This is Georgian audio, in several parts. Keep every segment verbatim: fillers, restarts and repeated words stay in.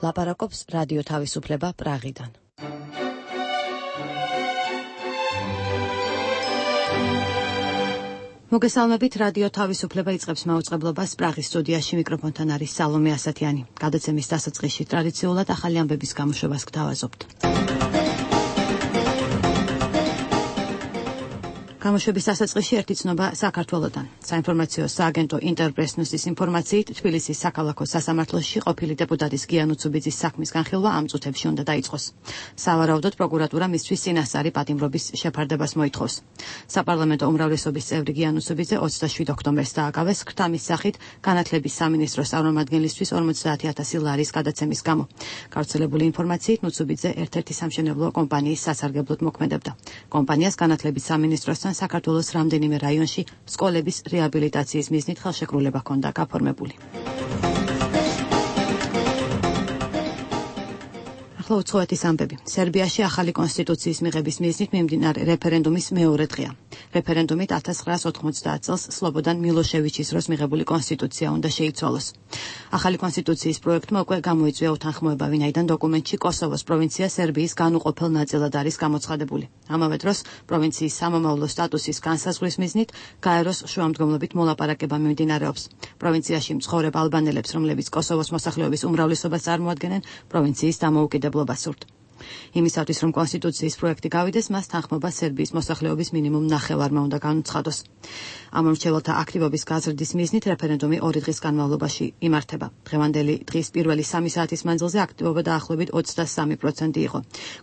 ლაპარაკობს რადიო თავისუფლება პრაღიდან. მოგესალმებით, რადიო თავისუფლება იწყებს მაუწყებლობას პრაღის სტუდიაში, მიკროფონთან არის სალომე ასათიანი. გადაცემის დასაწყისში ტრადიციულად ახალი ამბების გამოშვებას გთავაზობთ. გამოშვების დასაწყისში ერთი ცნობა საქართველოდან. საინფორმაციო სააგენტო ინტერპრესნუსის ინფორმაციით, თბილისის საქალაქო სასამართლოში ყოფილი დეპუტატის გიან უცუბიძის საქმის განხილვა ამ წუთებში უნდა დაიწყოს. სავარაუდოდ პროკურატურა მისთვის წინასწარი პატიმრობის შეფარდებას მოითხოვს. საპარლამენტო უმრავლესობის წევრი გიან უცუბიძე ოცდაშვიდ ოქტომბერს დააკავეს ქრთამის სახით განათლების სამინისტროს წარმომადგენლისთვის ორმოცდაათი ათასი ლარის გადაცემის გამო. გავრცელებული ინფორმაციით, უცუბიძე ერთ-ერთი სამშენებლო კომპანიის სასარგებლოდ მოქმედებდა. კომპანიას განათლების სამინისტროსთან საქართველოს რამდენიმე რაიონში სკოლების რეაბილიტაციის მიზნით ხელშეკრულება ჰქონდა გაფორმებული. ახლა უცხოეთის ამბები. სერბიაში ახალი კონსტიტუციის მიღების მიზნით მიმდინარე რეფერენდუმის მეორე დღეა. რეფერენდუმით ათას ცხრაას ოთხმოცდაათ წელს სლობოდან მილოშევიჩის დროს მიღებული კონსტიტუცია უნდა შეიცვალოს. ახალი კონსტიტუციის პროექტმა უკვე გამოიწვია უთანხმოება, ვინაიდან დოკუმენტში კოსოვოს პროვინცია სერბიის განუყოფელ ნაწილად არის გამოცხადებული. ამავე დროს პროვინციის სამომავლო სტატუსის განსაზღვრის მიზნით გაეროს შუამდგომლობით მოლაპარაკება მიმდინარეობს. პროვინციაში მცხოვრებ ალბანელებს, რომლებიც კოსოვოს მოსახლეობის უმრავლესობას წარმოადგენენ, პროვინციის დამოუკიდებლობა სურთ. იმისათვის, რომ კონსტიტუციის პროექტი გავიდეს, მას თანხმობა სერბიის მოსახლეობის მინიმუმ ნახევარმა უნდა განუცხადოს. ამ მომრჩეველთა აქტივობის გაზრდის მიზნით რეფერენდუმი ორი დღის განმავლობაში იმართება. დღევანდელი დღის პირველი სამი საათის მანძილზე აქტივობა დაახლოებით ოცდასამი პროცენტი იყო.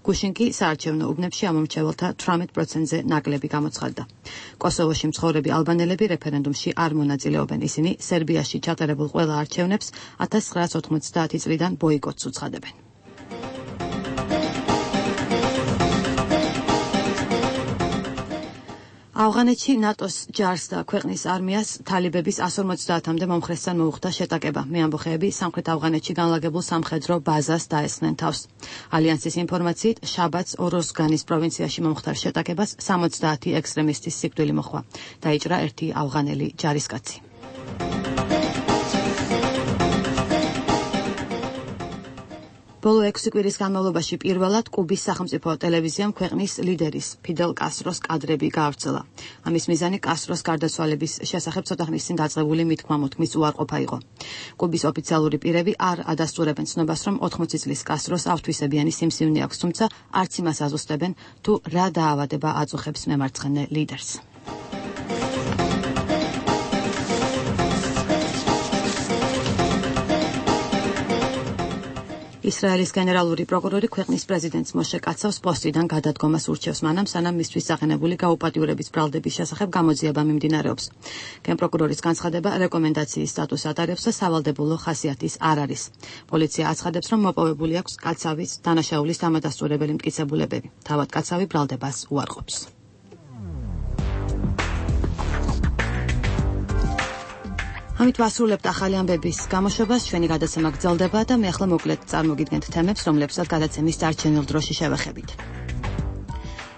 გუშინ კი საარჩევნო უბნებში ამ მომრჩეველთა თვრამეტ პროცენტზე ნაკლები გამოცხადდა. კოსოვოში მცხოვრები ალბანელები რეფერენდუმში არ მონაწილეობენ. ისინი სერბიაში ჩატარებულ ყველა არჩევნებს ათას ცხრაას ოთხმოცდაათი წლიდან ბოიკოტს უცხადებენ. ავღანეთში ნატოს ჯარს და ქვეყნის არმიას თალიბების ასი ორმოცდაათამდე მომხრესთან მოუხდა შეტაკება. მეამბოხეები სამხრეთ ავღანეთში განლაგებულ სამხედრო ბაზას დაესხნენ თავს. ალიანსის ინფორმაციით, შაბათს ოროზგანის პროვინციაში მომხდარ შეტაკებას სამოცდაათი ექსტრემისტის სიკვდილი მოჰყვა. დაიჭრა ერთი ავღანელი ჯარისკაცი. ბოლო ექვსი კვირის განმავლობაში პირველად კუბის სახელმწიფო ტელევიზიამ ქვეყნის ლიდერის ფიდელ კასტროს კადრები გაავრცელა. ამის მიზანი კასტროს გარდაცვალების შესახებ ცოტა ხნის წინ დაწყებული მithმა-მოთქმის უარყოფა იყო. კუბის ოფიციალური პირები არ ადასტურებენ ცნობას, რომ ოთხმოცი წლის კასტროს ავთვისებიანი სიმსივნე აქვს, თუმცა არც იმას აზუსტებენ, თუ რა დაავადება აწუხებს მემარცხენე ლიდერს. ისრაელის გენერალური პროკურორი ქვეყნის პრეზიდენტს მოშე კაცავს პოსტიდან გადადგომას ურჩევს, მანამ სანამ მისთვის აღენებული გაუპატიურების ბრალდების შესახებ გამოძიება მიმდინარეობს. გენპროკურორის განცხადება რეკომენდაციის სტატუსს ატარებს და სავალდებულო ხასიათის არ არის. პოლიცია აცხადებს, რომ მოპოვებული აქვს კაცავის დანაშაულის დამადასტურებელი მტკიცებულებები. თავად კაცავი ბრალდებას უარყოფს. ამით ვასრულებთ ახალი ამბების გამოშვებას, ჩვენი გადაცემა გრძელდება და მე ახლა მოკლედ წარმოგიდგენთ თემებს, რომლებსაც გადაცემის დარჩენილ დროში შევეხებით.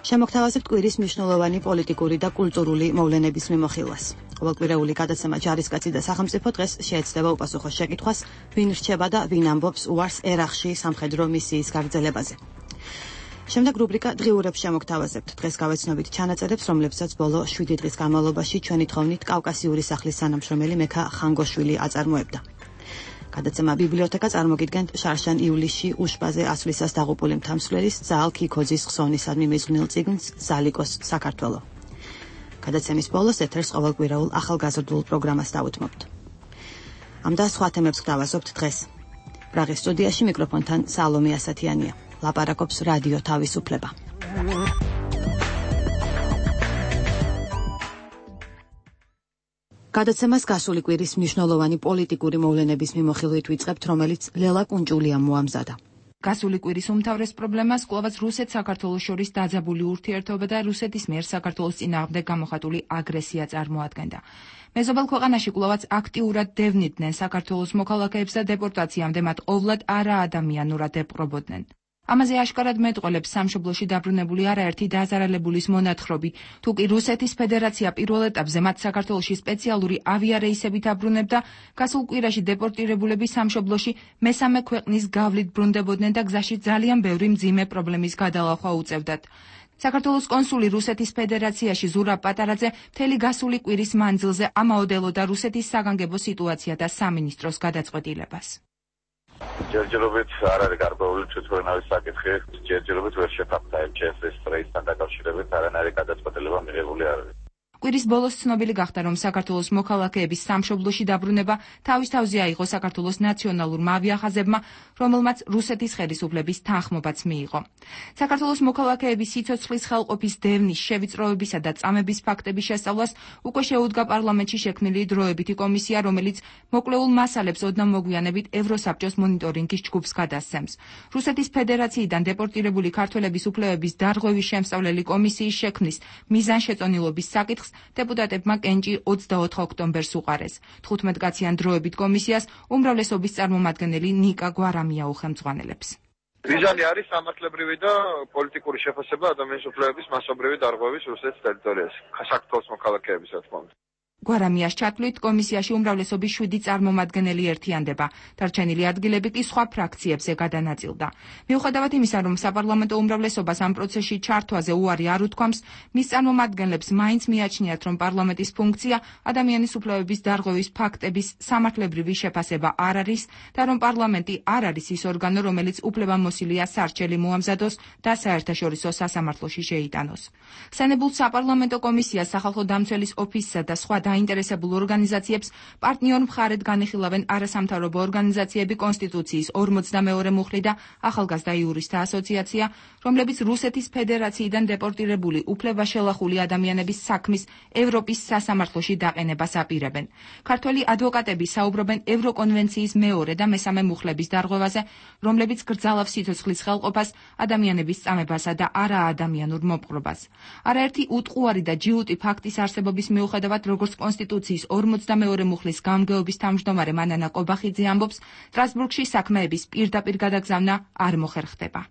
შემოგთავაზებთ კვირის მნიშვნელოვანი პოლიტიკური და კულტურული მოვლენების მიმოხილვას. ყოველკვირეული გადაცემა ჯარისკაცი და სახელმწიფო დღეს შეეცდება უპასუხოს შეკითხვას, ვინ რჩება და ვინ ამბობს უარს ერახში სამხედრო მისიის გაგრძელებაზე. შემდეგ რუბრიკა დღიურებს შემოგთავაზებთ. დღეს გავეცნობით ჩანაწერებს, რომლებსაც ბოლო შვიდი დღის განმავლობაში ჩვენი თხოვნით კავკასიური სახლის თანამშრომელი მექა ხანგოშვილი აწარმოებდა. გადაცემა ბიბლიოთეკა წარმოგიდგენთ შარშან ივლისში უშბაზე ასვლისას დაღუპული მთამსვლელის ზაალ ქიქოძის ხსოვნისადმი მიზღვნილ წიგნს „ზალიკოს საქართველო“. გადაცემის ბოლოს ეთერს ყოველკვირეულ ახალგაზრდულ პროგრამას დავუთმობთ. ამ და სხვა თემებს გთავაზობთ დღეს. პრაღის სტუდიაში მიკროფონთან სალომე ასათიანია. ლაპარაკობს რადიო თავისუფლება. გადაცემას გასული კვირის მნიშვნელოვანი პოლიტიკური მოვლენების მიმოხილვით ვიწყებთ, რომელიც ლელა კუნჭულიამ მოამზადა. გასული კვირის უმთავრეს პრობლემას კვლავაც რუსეთ-საქართველოს შორის დაძაბული ურთიერთობა და რუსეთის მიერ საქართველოს წინააღმდეგ გამოხატული აგრესია წარმოადგენდა. მეზობელ ქვეყანაში კვლავაც აქტიურად დევნიდნენ საქართველოს მოქალაქეებს და დეპორტაციამდე მათ ყოვლად არაადამიანურად ეპყრობოდნენ. ამაზე აშკარად მეტყველებს სამშობლოში დაბრუნებული არაერთი დაზარალებულის მონათხრობი. თუ კი რუსეთის ფედერაცია პირველ ეტაპზე მათ საქართველოში სპეციალური ავიარეისებით აბრუნებდა, გასულ კვირაში დეპორტირებულები სამშობლოში მესამე ქვეყნის გავლით ბრუნდებოდნენ და გზაში ძალიან ბევრი მძიმე პრობლემის გადალახვა უწევდათ. საქართველოს კონსული რუსეთის ფედერაციაში ზურაბ პატარაძე მთელი გასული კვირის მანძილზე ამაოდელოდა რუსეთის საგანგებო სიტუაცია და სამინისტროს გადაწყვეტილებას. ჯერჯერობით არ არის გარკვეული თვითმფრინავის საკითხი, ჯერჯერობით ვერ შეთანხმდა ემ ჩე ეს-ის რეისთან დაკავშირებით არანაირი გადაწყვეტილება მიღებული არ არის. კვირის ბოლოს ცნობილი გახდა, რომ საქართველოს მოქალაქეების სამშობლოში დაბრუნება თავის თავზე აიღო საქართველოს ნაციონალურმა ავიახაზებმა, რომელმაც რუსეთის ხელისუფლების თანხმობაც მიიღო. საქართველოს მოქალაქეების სიცოცხლის ხელყოფის დევნის, შევიწროებისა და წამების ფაქტების შესწავლას უკვე შეუდგა პარლამენტში შექმნილი დროებითი კომისია, რომელიც მოკვლეულ მასალებს ოდნავ მოგვიანებით ევროსაბჭოს მონიტორინგის ჯგუფს გადასცემს. რუსეთის ფედერაციიდან დეპორტირებული ქართველების უფლებების დარღვევის შემსწავლელი კომისიის შექმნის მიზანშეწონილობის საკითხს დეპუტატებმა კენჭი ოცდაოთხ ოქტომბერს უყარეს. თხუთმეტკაციან დროებით კომისიას უმრავლესობის წარმომადგენელი ნიკა გვარამია უხელმძღვანელებს. მიზანი არის სამართლებრივი და პოლიტიკური შეფასება ადამიანის უფლებების მასობრივი დარღვევის რუსეთის ტერიტორიაზე. საქართველოს მოქალაქეების რა თქმა უნდა. გვარამიას ჩათვლით კომისიაში უმრავლესობის შვიდი წარმომადგენელი ერთიანდება. დარჩენილი ადგილები კი სხვა ფრაქციებზე გადანაწილდა. მიუხედავად იმისა, რომ საპარლამენტო უმრავლესობას ამ პროცესში ჩართვაზე უარი არ უთქვამს, მის წარმომადგენლებს მაინც მიაჩნიათ, რომ პარლამენტის ფუნქცია ადამიანის უფლებების დარღვევის ფაქტების სამართლებრივი შეფასება არ არის და რომ პარლამენტი არ არის ის ორგანო, რომელიც უფლებამოსილია სარჩელი მოამზადოს და საერთაშორისო სასამართლოში შეიტანოს. ხსენებულ საპარლამენტო კომისიას სახალხო დამცველის ოფისსა და სხვა დაინტერესებულ ორგანიზაციებს პარტნიორ მხარედ განიხილავენ არასამთავრობო ორგანიზაციები, კონსტიტუციის ორმოცდამეორე მუხლი და ახალგაზრდა იურისტთა ასოციაცია, რომლებიც რუსეთის ფედერაციიდან დეპორტირებული უფლებაშელახული ადამიანების საქმის ევროპის სასამართლოში დაყენებას აპირებენ. ქართველი ადვოკატები საუბრობენ ევროკონვენციის მეორე და მესამე მუხლების დარღვევაზე, რომლებიც გრძალავს სიცოცხლის ხელყოფას, ადამიანების წამებასა და არაადამიანურ მოპყრობას. არაერთი უტყუარი და ჯიუტი ფაქტის არსებობის მიუხედავად, როგორც კონსტიტუციის ორმოცდამეორე მუხლის გამგეობის თავმჯდომარე მანანა კობახიძე ამბობს, სტრასბურგში საქმეების პირდაპირ გადაგზავნა არ მოხერხდება.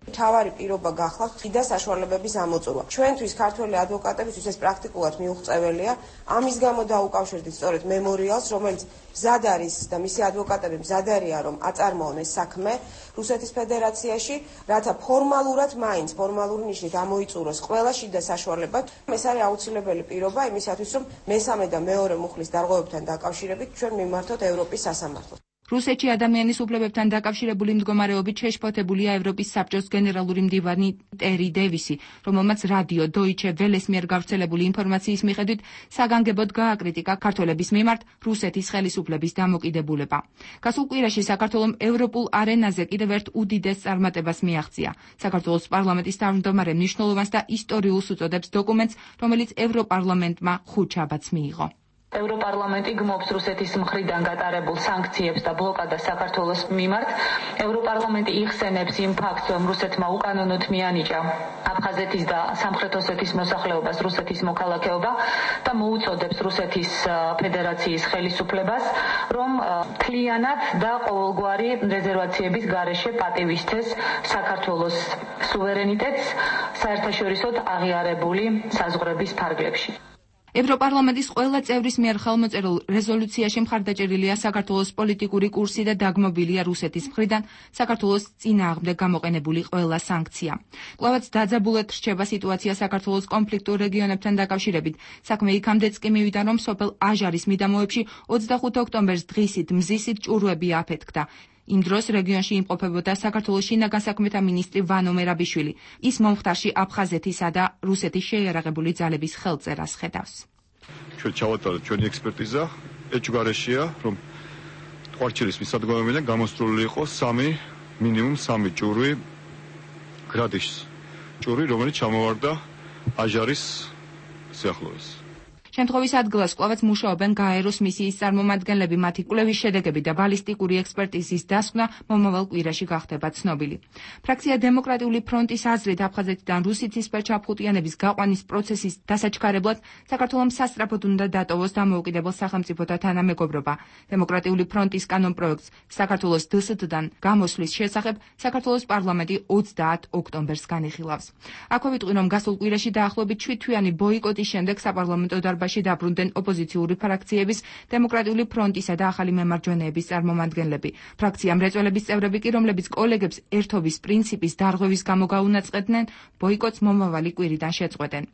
მთავარი პირობა გახლავთ ხიდა საშუალებების ამოწურვა. ჩვენთვის ქართველი ადვოკატებისთვის ეს პრაქტიკულად მიუღწეველია. ამის გამო დაუკავშირდით სწორედ მემორიალს, რომელიც მზად არის და მისი ადვოკატები მზად არიან, რომ აწარმოონ ეს საქმე რუსეთის ფედერაციაში, რათა ფორმალურად მაინც ფორმალური ნიშნით ამოიწუროს ყველა შიდა საშუალება. ეს არის აუცილებელი პირობა იმისათვის, რომ მესამე და მეორე მუხლის დარღვევებთან დაკავშირებით ჩვენ მიმართოთ ევროპის სასამართლოს. რუსეთში ადამიანის უფლებებთან დაკავშირებული მდგომარეობით შეშფოთებულია ევროპის საბჭოს გენერალური მდივანი ტერი დევისი, რომელმაც რადიო დოიჩე ველეს მიერ გავრცელებული ინფორმაციის მიხედვით საგანგებოდ გააკრიტიკა ქართველების მიმართ რუსეთის ხელისუფლების დამოკიდებულება. გასულ კვირაში საქართველომ ევროპულ არენაზე კიდევ ერთ უდიდეს წარმატებას მიაღწია. საქართველოს პარლამენტის თავმჯდომარე მნიშვნელოვანს და ისტორიულს უწოდებს დოკუმენტს, რომელიც ევროპარლამენტმა ხუთშაბათს მიიღო. ევროპარლამენტი გმობს რუსეთის მხრიდან გატარებულ სანქციებს და ბლოკადას საქართველოს მიმართ. ევროპარლამენტი იხსენებს იმ ფაქტს, რომ რუსეთმა უკანონოდ მიანიჭა აფხაზეთის და სამხრეთ ოსეთის მოსახლეობას რუსეთის მოქალაქეობა და მოუწოდებს რუსეთის ფედერაციის ხელისუფლებას, რომ მთლიანად და ყოველგვარი რეზერვაციების გარეშე პატივისცეს საქართველოს სუვერენიტეტს საერთაშორისოდ აღიარებული საზღვრების ფარგლებში. ევროპარლამენტის ყველა წევრის მიერ ხელმოწერილ რეზოლუციაში მხარდაჭერილია საქართველოს პოლიტიკური კურსი და დაგმობილია რუსეთის მხრიდან საქართველოს წინააღმდეგ გამოყენებული ყველა სანქცია. კვლავაც დაძაბულად რჩება სიტუაცია საქართველოს კონფლიქტურ რეგიონებთან დაკავშირებით. საქმე იქამდეც კი მივიდა, რომ სოფელ აჟარის მიდამოებში ოცდახუთი ოქტომბერს დღისით მზისით ჭურვები აფეთქდა. იმ დროს რეგიონში იმყოფებოდა საქართველოს შინაგან საქმეთა მინისტრი ვანო მერაბიშვილი. ის მომხდარში აფხაზეთისა და რუსეთის შეიარაღებული ძალების ხელწერას ხედავს. ჩვენ ჩავატარეთ ჩვენი ექსპერტიზა, ეჭვგარეშეა, რომ ყვარჩილის მისადგომებიდან გამოსწორული იყო სამი, მინიმუმ სამი ჭურვი გრადიშს. ჭურვი, რომელიც ჩამოვარდა აჟარის სიახლოვეს. შემთხვევის ადგილას კვლავაც მუშაობენ გაეროს მისიის წარმომადგენლები, მათი კვლევის შედეგები და ბალისტიკური ექსპერტიზის დასკვნა მომავალ კვირაში გახდება ცნობილი. ფრაქცია დემოკრატიული ფრონტის აზრით აფხაზეთიდან რუსეთისფერ ჩაფხუტიანების გაყვანის პროცესის დასაჩქარებლად საქართველოს სასწრაფოდ უნდა დატოვოს დამოუკიდებელ სახელმწიფოთა თანამეგობრობა. დემოკრატიული ფრონტის კანონპროექტს საქართველოს დსთ-დან გამოსვლის შესახებ საქართველოს პარლამენტი ოცდაათ ოქტომბერს განიხილავს. აქვე ვიტყვი, რომ გასულ კვირაში დაახლოებით შვიდთვიანი ბოიკოტის შემდეგ საპარლამენტო დარბაზში დაბრუნდნენ ოპოზიციური ფრაქციების, დემოკრატიული ფრონტისა და ახალი მემარჯვენეების წარმომადგენლები. ფრაქცია მრეწველების წევრები კი, რომლებიც კოლეგებს ერთობის პრინციპის დარღვევის გამო გაუნაწყედნენ, ბოიკოტს მომავალი კვირიდან შეწყვეტენ.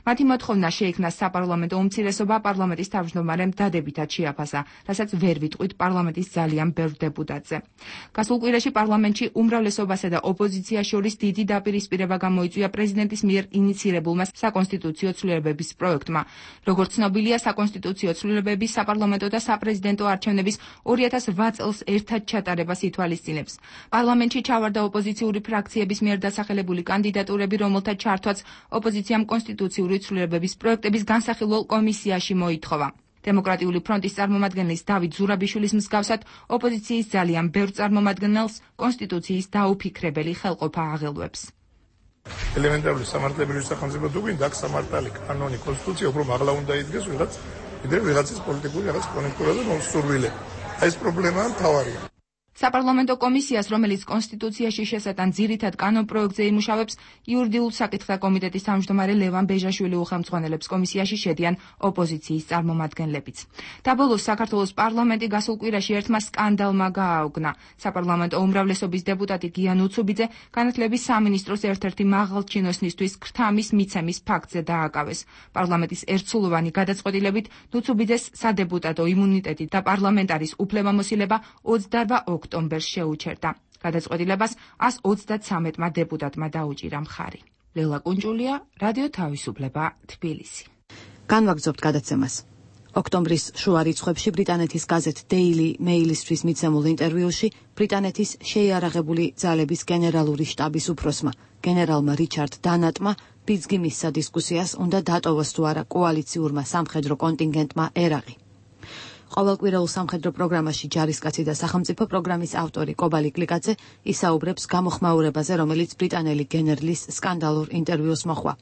მათი მოთხოვნა შეიქმნა საპარლამენტო უმცირესობა პარლამენტის თავმჯდომარემ დადებითად შეაფასა, რასაც ვერ ვიტყვით პარლამენტის ძალიან ბევრ დეპუტატზე. გასულ კვირაში პარლამენტში უმრავლესობასა და ოპოზიციას შორის დიდი დაპირისპირება გამოიწვია პრეზიდენტის მიერ ინიცირებულმა საკონსტიტუციო ცვლილებების პროექტმა. როგორც ცნობილია, საკონსტიტუციო ცვლილებების საპარლამენტო და საპრეზიდენტო არჩევნების ორი ათას ოთხ წელს ერთად ჩატარებას ითვალისწინებს. პარლამენტში ჩავარდა ოპოზიციური ფრაქციების მიერ დასახელებული კანდიდატურები, რომელთა ჩართვაც ოპოზიციამ კონსტიტუციური ცვლილებების პროექტების განსახილველ კომისიაში მოითხოვა. დემოკრატიული ფრონტის წარმომადგენლის დავით ზურაბიშვილის მსგავსად ოპოზიციის ძალიან ბევრ წარმომადგენელს კონსტიტუციის დაუფიქრებელი ხელყოფა აღელვებს. ელემენტარული სამართლებრივი სახელმწიფო თუ გვინდა აქ სამართალი, კანონი, კონსტიტუცია უფრო მაღლა უნდა იდგეს ვიღაც, ვიდრე ვიღაცის პოლიტიკური რაღაც კონექტურა და მოსურვილე. აი ეს პრობლემაა მთავარია. საპარლამენტო კომისიას, რომელიც კონსტიტუციაში შესატან ძირითად კანონპროექტზე იმუშავებს, იურიდიულ საკითხთა კომიტეტის თავმჯდომარე ლევან ბეჟაშვილი უხელმძღვანელებს. კომისიაში შედიან ოპოზიციის წარმომადგენლებიც. დაბოლოს საქართველოს პარლამენტი გასულ კვირაში ერთმა სკანდალმა გააუგნა. საპარლამენტო უმრავლესობის დეპუტატი გიან უცუბიძე განათლების სამინისტროს ერთ-ერთი მაღალჩინოსნისთვის ქრთამის მიცემის ფაქტზე დააკავეს. პარლამენტის ერთსულოვანი გადაწყვეტილებით უცუბიძეს სადეპუტატო იმუნიტეტი და პარლამენტარის უფლებამოსილება ოცდაოთხ ოქტომბერს შეუჩერდა. გადაწყვეტილებას ასი ოცდათრამეტმა დეპუტატმა დაუჭირა მხარი. ლელა კუნჭულია, რადიო თავისუფლება, თბილისი. განვაგრძობთ გადაცემას. ოქტომბრის შუა რიცხვებში ბრიტანეთის გაზეთ Daily Mail-ისთვის მიცემულ ინტერვიუში ბრიტანეთის შეიარაღებული ძალების გენერალური შტაბის უფროსმა, გენერალმა რიჩარდ დანატმა ბიძგი მისცა დისკუსიას, უნდა დატოვოს თუ არა კოალიციურმა სამხედრო კონტინგენტმა ერაყი. ყოველკვირეულ სამხედრო პროგრამაში ჯარისკაცი და სახელმწიფო პროგრამის ავტორი კობალი კლიკაძე ისაუბრებს გამოხმაურებაზე, რომელიც ბრიტანელი გენერლის სკანდალურ ინტერვიუს მოჰყვა.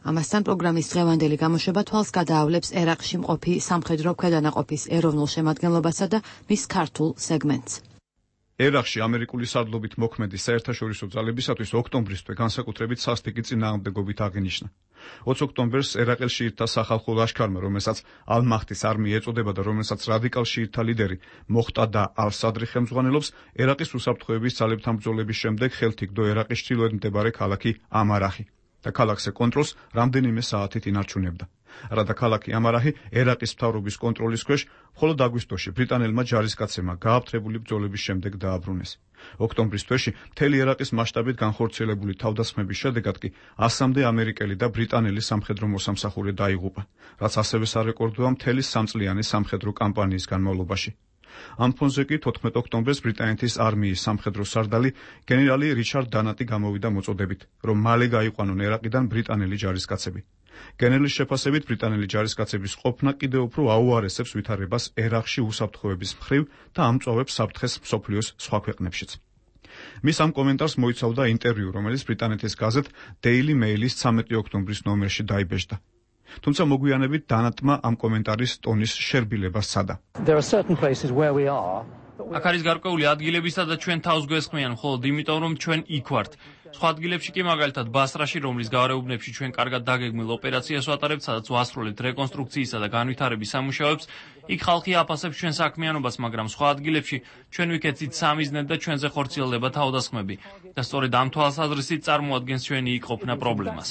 ამასთან პროგრამის დღევანდელი გამოშვება თვალს გადაავლებს ერაყში მყოფი სამხედრო ქვედანაყოფის ეროვნულ შემადგენლობასა და მის ქართულ სეგმენტს. ერაყში ამერიკული სარდლობით მოქმედი საერთაშორისო ძალებისათვის ოქტომბრის თვე განსაკუთრებით სასტიკი წინააღმდეგობით აღინიშნა. ოცი ოქტომბერს ერაყელ შიიტთა სახალხო ლაშქარმა, რომელსაც ალ-მაჰდის არმია ეწოდება და რომელსაც რადიკალ შიიტთა ლიდერი მოხტადა ალ-სადრი ხელმძღვანელობს, ერაყის უსაფრთხოების ძალებთან ბრძოლების შემდეგ ხელთ იგდო ერაყის ჩრდილოეთ მდებარე ქალაქი ამარახი და ქალაქზე კონტროლს რამდენიმე საათით ინარჩუნებდა. რადა ქალაქი ამარაჰი ერაყის მთავრობის კონტროლის ქვეშ, მხოლოდ აგვისტოში ბრიტანელმა ჯარისკაცებმა გააფთრებული ბრძოლების შემდეგ დააბრუნეს. ოქტომბრის თვეში მთელი ერაყის მასშტაბით განხორციელებული თავდასხმების შედეგად კი ასამდე ამერიკელი და ბრიტანელი სამხედრო მოსამსახურე დაიღუპა, რაც ასევე სარეკორდოა მთელი სამწლიანი სამხედრო კამპანიის განმავლობაში. ამ ფონზე კი თოთხმეტ ოქტომბერს ბრიტანეთის არმიის სამხედრო სარდალი გენერალი რიჩარდ დანატი გამოვიდა მოწოდებით, რომ მალე გაიყვანონ ერაყიდან ბრიტანელი ჯარისკაცები. გენერლის შეფასებით ბრიტანელი ჯარისკაცების ყოფნა კიდევ უფრო აუარესებს ვითარებას ერაყში უსაფრთხოების მხრივ და ამწვავებს საფრთხეს მსოფლიოს სხვა ქვეყნებშიც. მის ამ კომენტარს მოიცავდა ინტერვიუ, რომელიც ბრიტანეთის გაზეთ Daily Mail-ის ცამეტი ოქტომბრის ნომერში დაიბეჭდა. თუმცა მოგვიანებით დანატმა ამ კომენტარის ტონის შერბილებას სცადა. აქ არის გარკვეული ადგილები, სადაც ჩვენ თავს გვესხმიან, მხოლოდ იმიტომ, რომ ჩვენ იქ ვართ. სხვა ადგილებში კი მაგალითად ბასრაში, რომლის გარეუბნებში ჩვენ კარგად დაგეგმილ ოპერაციას ვატარებთ, სადაც ვასრულებთ რეკონსტრუქციისა და განვითარების სამუშაოებს, იქ ხალხი აფასებს ჩვენ საქმიანობას, მაგრამ სხვა ადგილებში ჩვენ ვიქეცით სამიზნედ და ჩვენზე ხორციელდება თავდასხმები და სწორედ ამ თვალსაზრისით წარმოადგენს ჩვენი იქ ყოფნა პრობლემას.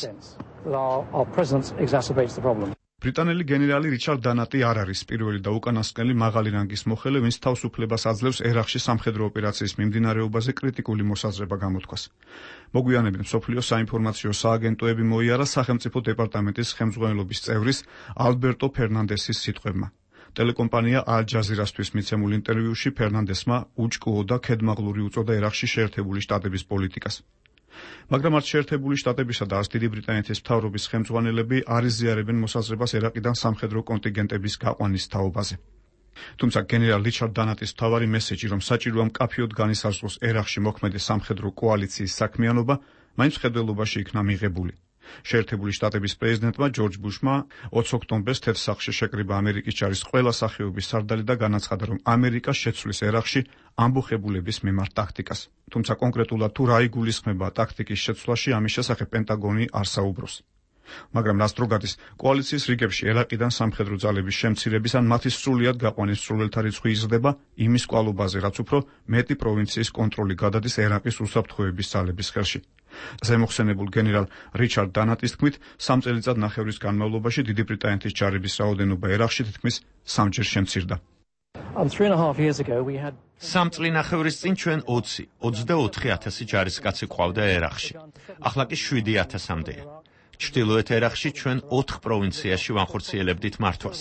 ბრიტანელი გენერალი რიჩარდ დანატი არ არის პირველი და უკანასკნელი მაღალი რანგის მოხელე, ვინც თავისუფლებას აძლევს ერაყში სამხედრო ოპერაციის მიმდინარეობაზე კრიტიკული მოსაზრება გამოთქვას. მოგვიანებით მსოფლიო საინფორმაციო სააგენტოები მოიარა სახელმწიფო დეპარტამენტის ხელმძღვანელობის წევრის ალბერტო ფერნანდესის სიტყვებმა. ტელეკომპანია ალ-ჯაზირასთვის მიცემულ ინტერვიუში ფერნანდესმა უჭკუო და ქედმაღლური უწოდა ერაყში შეერთებული შტატების პოლიტიკას. მაგრამ არც შეერთებული შტატებისა და არც დიდი ბრიტანეთის მთავრობის ხელმძღვანელები არ იზიარებენ მოსაზრებას ერაყიდან სამხედრო კონტინგენტების გაყვანის თაობაზე. თუმცა გენერალ რიჩარდ დანატის მთავარი მესეჯი, რომ საჭიროა მკაფიოდ განისაზღვროს ერაყში მოქმედი სამხედრო კოალიციის საქმიანობა, მაინც მხედველობაში იქნა მიღებული. შეერთებული შტატების პრეზიდენტმა ჯორჯ ბუშმა ოცი ოქტომბერს თეთრ სახლში შეკრიბა ამერიკის ჯარის ყველა სახეობის სარდალი და განაცხადა, რომ ამერიკა შეცვლის ერაყში ამბოხებულების მიმართ ტაქტიკას. თუმცა კონკრეტულად თუ რა იგულისხმება ტაქტიკის შეცვლაში, ამის შესახებ პენტაგონი არ საუბრობს. მაგრამ რაც დრო გადის, კოალიციის რიგებში ერაყიდან სამხედრო ძალების შემცირების ან მათი სრულიად გაყვანის სრულელთა რიცხვი იზრდება იმის კვალობაზე, რაც უფრო მეტი პროვინციის კონტროლი გადადის ერაყის უსაფრთხოების ძალების ხელში. ზემოხსენებულ გენერალ რიჩარდ დანატის თქმით, სამ წელიწად ნახევრის განმავლობაში დიდი ბრიტანეთის ჯარების რაოდენობა ერაყში თითქმის სამჯერ შემცირდა. სამ წლინახევრის წინ ჩვენ ოცი ოცდაოთხი ათასი ჯარისკაცი ყავდა ერაყში. ახლა კი შვიდი ათასამდეა. ჩრდილოეთ ერაყში ჩვენ ოთხ პროვინციაში ვანხორციელებდით მართვას.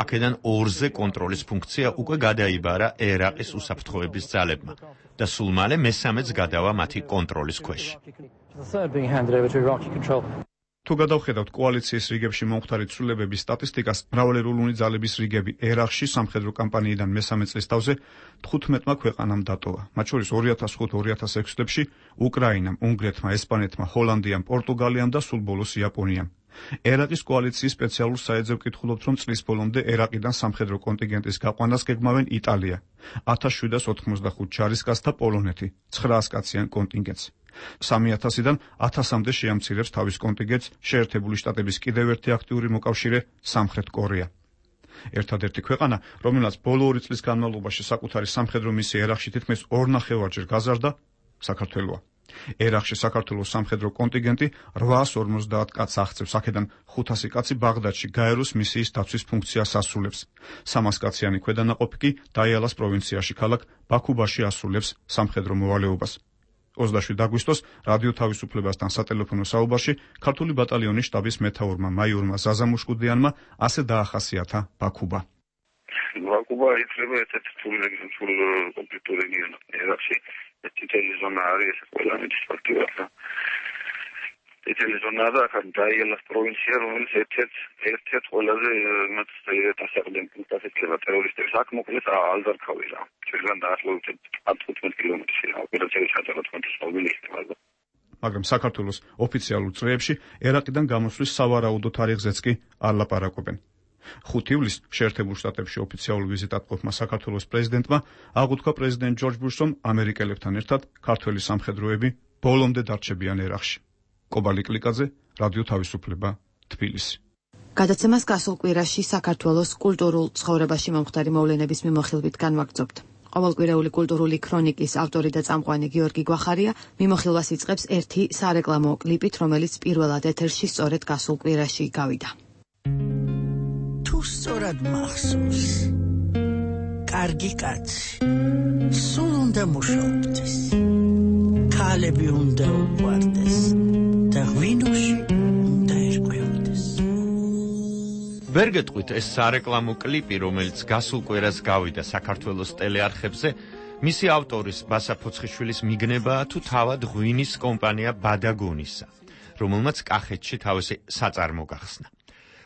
აქედან ორზე კონტროლის ფუნქცია უკვე გადაიბარა ერაყის უსაფრთხოების ძალებმა და სულ მალე მესამეც გადავა მათი კონტროლის ქვეშ. თუ გადავხედავთ კოალიციის რიგებში მომხდარი ცვლილებების სტატისტიკას, მრავალეროვნული ძალების რიგები ერაყში სამხედრო კამპანიიდან მესამე წლის თავზე თხუთმეტმა ქვეყანამ დატოვა. მათ შორის ორი ათას ხუთი ორი ათას ექვსი წლებში უკრაინამ, უნგრეთმა, ესპანეთმა, ჰოლანდიამ, პორტუგალიამ და სულ ბოლოს იაპონიამ. ერაყის კოალიციის სპეციალურ საეძებ ვკითხულობთ, რომ წლის ბოლომდე ერაყიდან სამხედრო კონტინგენტის გაყვანას გეგმავენ იტალია, ათას შვიდას ოთხმოცდახუთ ჯარისკაცს და პოლონეთი, ცხრაას კაციან კონტინგენტს. სამი ათასიდან ათასამდე შეამცირებს თავის კონტინგენტს შეერთებული შტატების კიდევ ერთი აქტიური მოკავშირე სამხრეთ კორეა. ერთადერთი ქვეყანა, რომელსაც ბოლო ორი წლის განმავლობაში საკუთარი სამხედრო მისია ერაყში თითქმის ორნახევარჯერ გაზარდა, საქართველოა. ერაყში საქართველოს სამხედრო კონტინგენტი რვაას ორმოცდაათ კაცს აღწევს, აქედან ხუთასი კაცი ბაღდადში გაეროს მისიის დაცვის ფუნქციას ასრულებს. სამას კაციანი ქვედანაყოფი კი დაიალას პროვინციაში ქალაქ ბაქუბაში ასრულებს სამხედრო მოვალეობას. ოცდაშვიდ აგვისტოს რადიო თავისუფლებასთან სატელეფონო საუბარში ქართული ბატალიონის შტაბის მეთაურმა მაიორმა ზაზა მუშკუდიანმა ასე დაახასიათა ბაქუბა. ბაქუბა ითვლება ერთ-ერთი რთული კონფლიქტური რეგიონი ერაყში. წითელი ზონა არის ეს ყველა მის ფაქტიურად. წითელი ზონა და ახლა დაიალას პროვინცია, რომელიც ერთ-ერთი ერთ-ერთი ყველაზე მათ დასაყრდენ პუნქტად ითვლება ტერორისტების. აქ მოკლედ ალზარქავი რა. ჩვენგან დაახლოებით ათი კილომეტრი ოპერაციული ჩატარდა მობილი ხდება. მაგრამ საქართველოს ოფიციალურ წრეებში ერაყიდან გამოსვლის სავარაუდო თარიღზეც კი არ ლაპარაკობენ. ხუთი ივლისს შეერთებულ შტატებში ოფიციალურ ვიზიტად ყოფნა საქართველოს პრეზიდენტმა აღუთქვა პრეზიდენტ ჯორჯ ბუშს, რომ ამერიკელებთან ერთად ქართველი სამხედროები ბოლომდე დარჩებიან ერაყში. კობალი კლიკაძე, რადიო თავისუფლება, თბილისი. გადაცემას გასულ კვირაში საქართველოს კულტურულ ცხოვრებაში მომხდარი მოვლენების მიმოხილვით განვაგრძობთ. ყოველკვირეული კულტურული ქრონიკის ავტორი და წამყვანი გიორგი გვახარია მიმოხილვას იწყებს ერთი სარეკლამო კლიპით, რომელიც პირველად ეთერში სწორედ გასულ კვირაში გავიდა. თუ სწორად მახსოვს, კარგი კაცი, სულ უნდა მუშაობდეს, ქალები უნდა უყვარდეს და ღვინოში უნდა ერკვეოდეს. ვერ გეტყვით, ეს სარეკლამო კლიპი, რომელიც გასულ კვირას გავიდა საქართველოს ტელეარხებზე, მისი ავტორის ბასა ფოცხიშვილის მიგნებაა თუ თავად ღვინის კომპანია ბადაგონისა, რომელმაც კახეთში თავისი საწარმო გახსნა.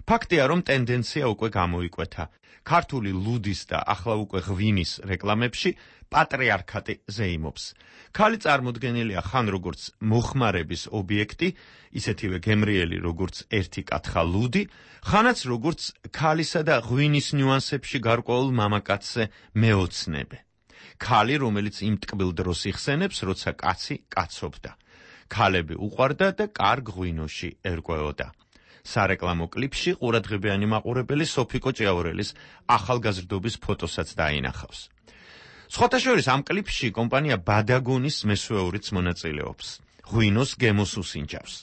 ფაქტია, რომ ტენდენცია უკვე გამოიკვეთა. ქართული ლუდის და ახლა უკვე ღვინის რეკლამებში პატრიარქატი ზეიმობს. ქალი წარმოდგენილია ხან როგორც მოხმარების ობიექტი, ისეთივე გემრიელი როგორც ერთი კათხა ლუდი, ხანაც როგორც ქალისა და ღვინის ნიუანსებში გარკვეულ მამაკაცზე მეოცნებე. ქალი, რომელიც იმ ტკბილ დროს იხსენებს, როცა კაცი კაცობდა. ქალები უყვარდა და კარგ ღვინოში ერკვეოდა. სარეკლამო კლიპში ყურადღებიანი მაყურებელი სოფიკო ჭიაურელის ახალგაზრდობის ფოტოსაც დაინახავს. სხვათა შორის ამ კლიპში კომპანია ბადაგონის მესვეურიც მონაწილეობს. ღვინოს გემოს უსინჯავს.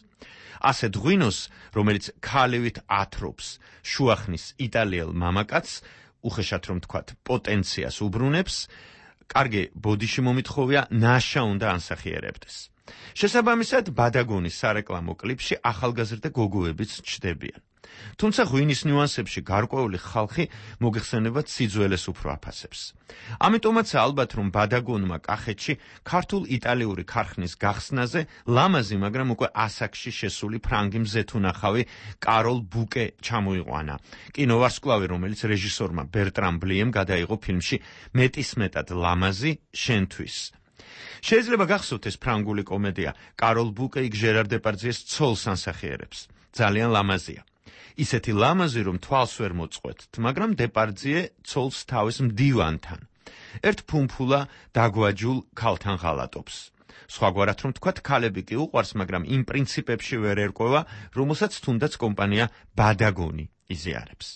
ასეთ ღვინოს, რომელიც ქალივით ათრობს, შუახნის იტალიელ მამაკაცს, უხეშად რომ თქვათ, პოტენციას უბრუნებს, კარგი ბოდიში მომითხოვია ნაშა უნდა ანსახიერებდეს. შესაბამისად, ბადაგონის სარეკლამო კლიპში ახალგაზრდა გოგოებიც ჩნდებიან. თუმცა ღვინის ნიუანსებში გარკვეული ხალხი მოგეხსენებათ სიძველეს უფრო აფასებს. ამიტომაც ალბათ რომ ბადაგონმა კახეთში ქართულ-იტალიური ქარხნის გახსნაზე ლამაზი, მაგრამ უკვე ასაკში შესული ფრანგი მზეთუნახავი კაროლ ბუკე ჩამოიყვანა. კინოვარსკვლავი, რომელიც რეჟისორმა ბერტრამ ბლიემ გადაიღო ფილმში მეტისმეტად ლამაზი შენთვის. შეიძლება გახსოვთ ეს ფრანგული კომედია კაროლ ბუკე იქ ჟერარ დეპარდიეს ცოლს ანსახიერებს. ძალიან ლამაზია. ისეთი ლამაზი რომ თვალს ვერ მოწყვეტთ, მაგრამ დეპარდიე ცოლს თავის მდივანთან. ერთ ფუმფულა დაგვაჯულ ქალთან ღალატობს. სხვაგვარად რომ თქვათ, ქალები კი უყვარს, მაგრამ იმ პრინციპებში ვერ ერკვევა, რომელსაც თუნდაც კომპანია ბადაგონი იზიარებს.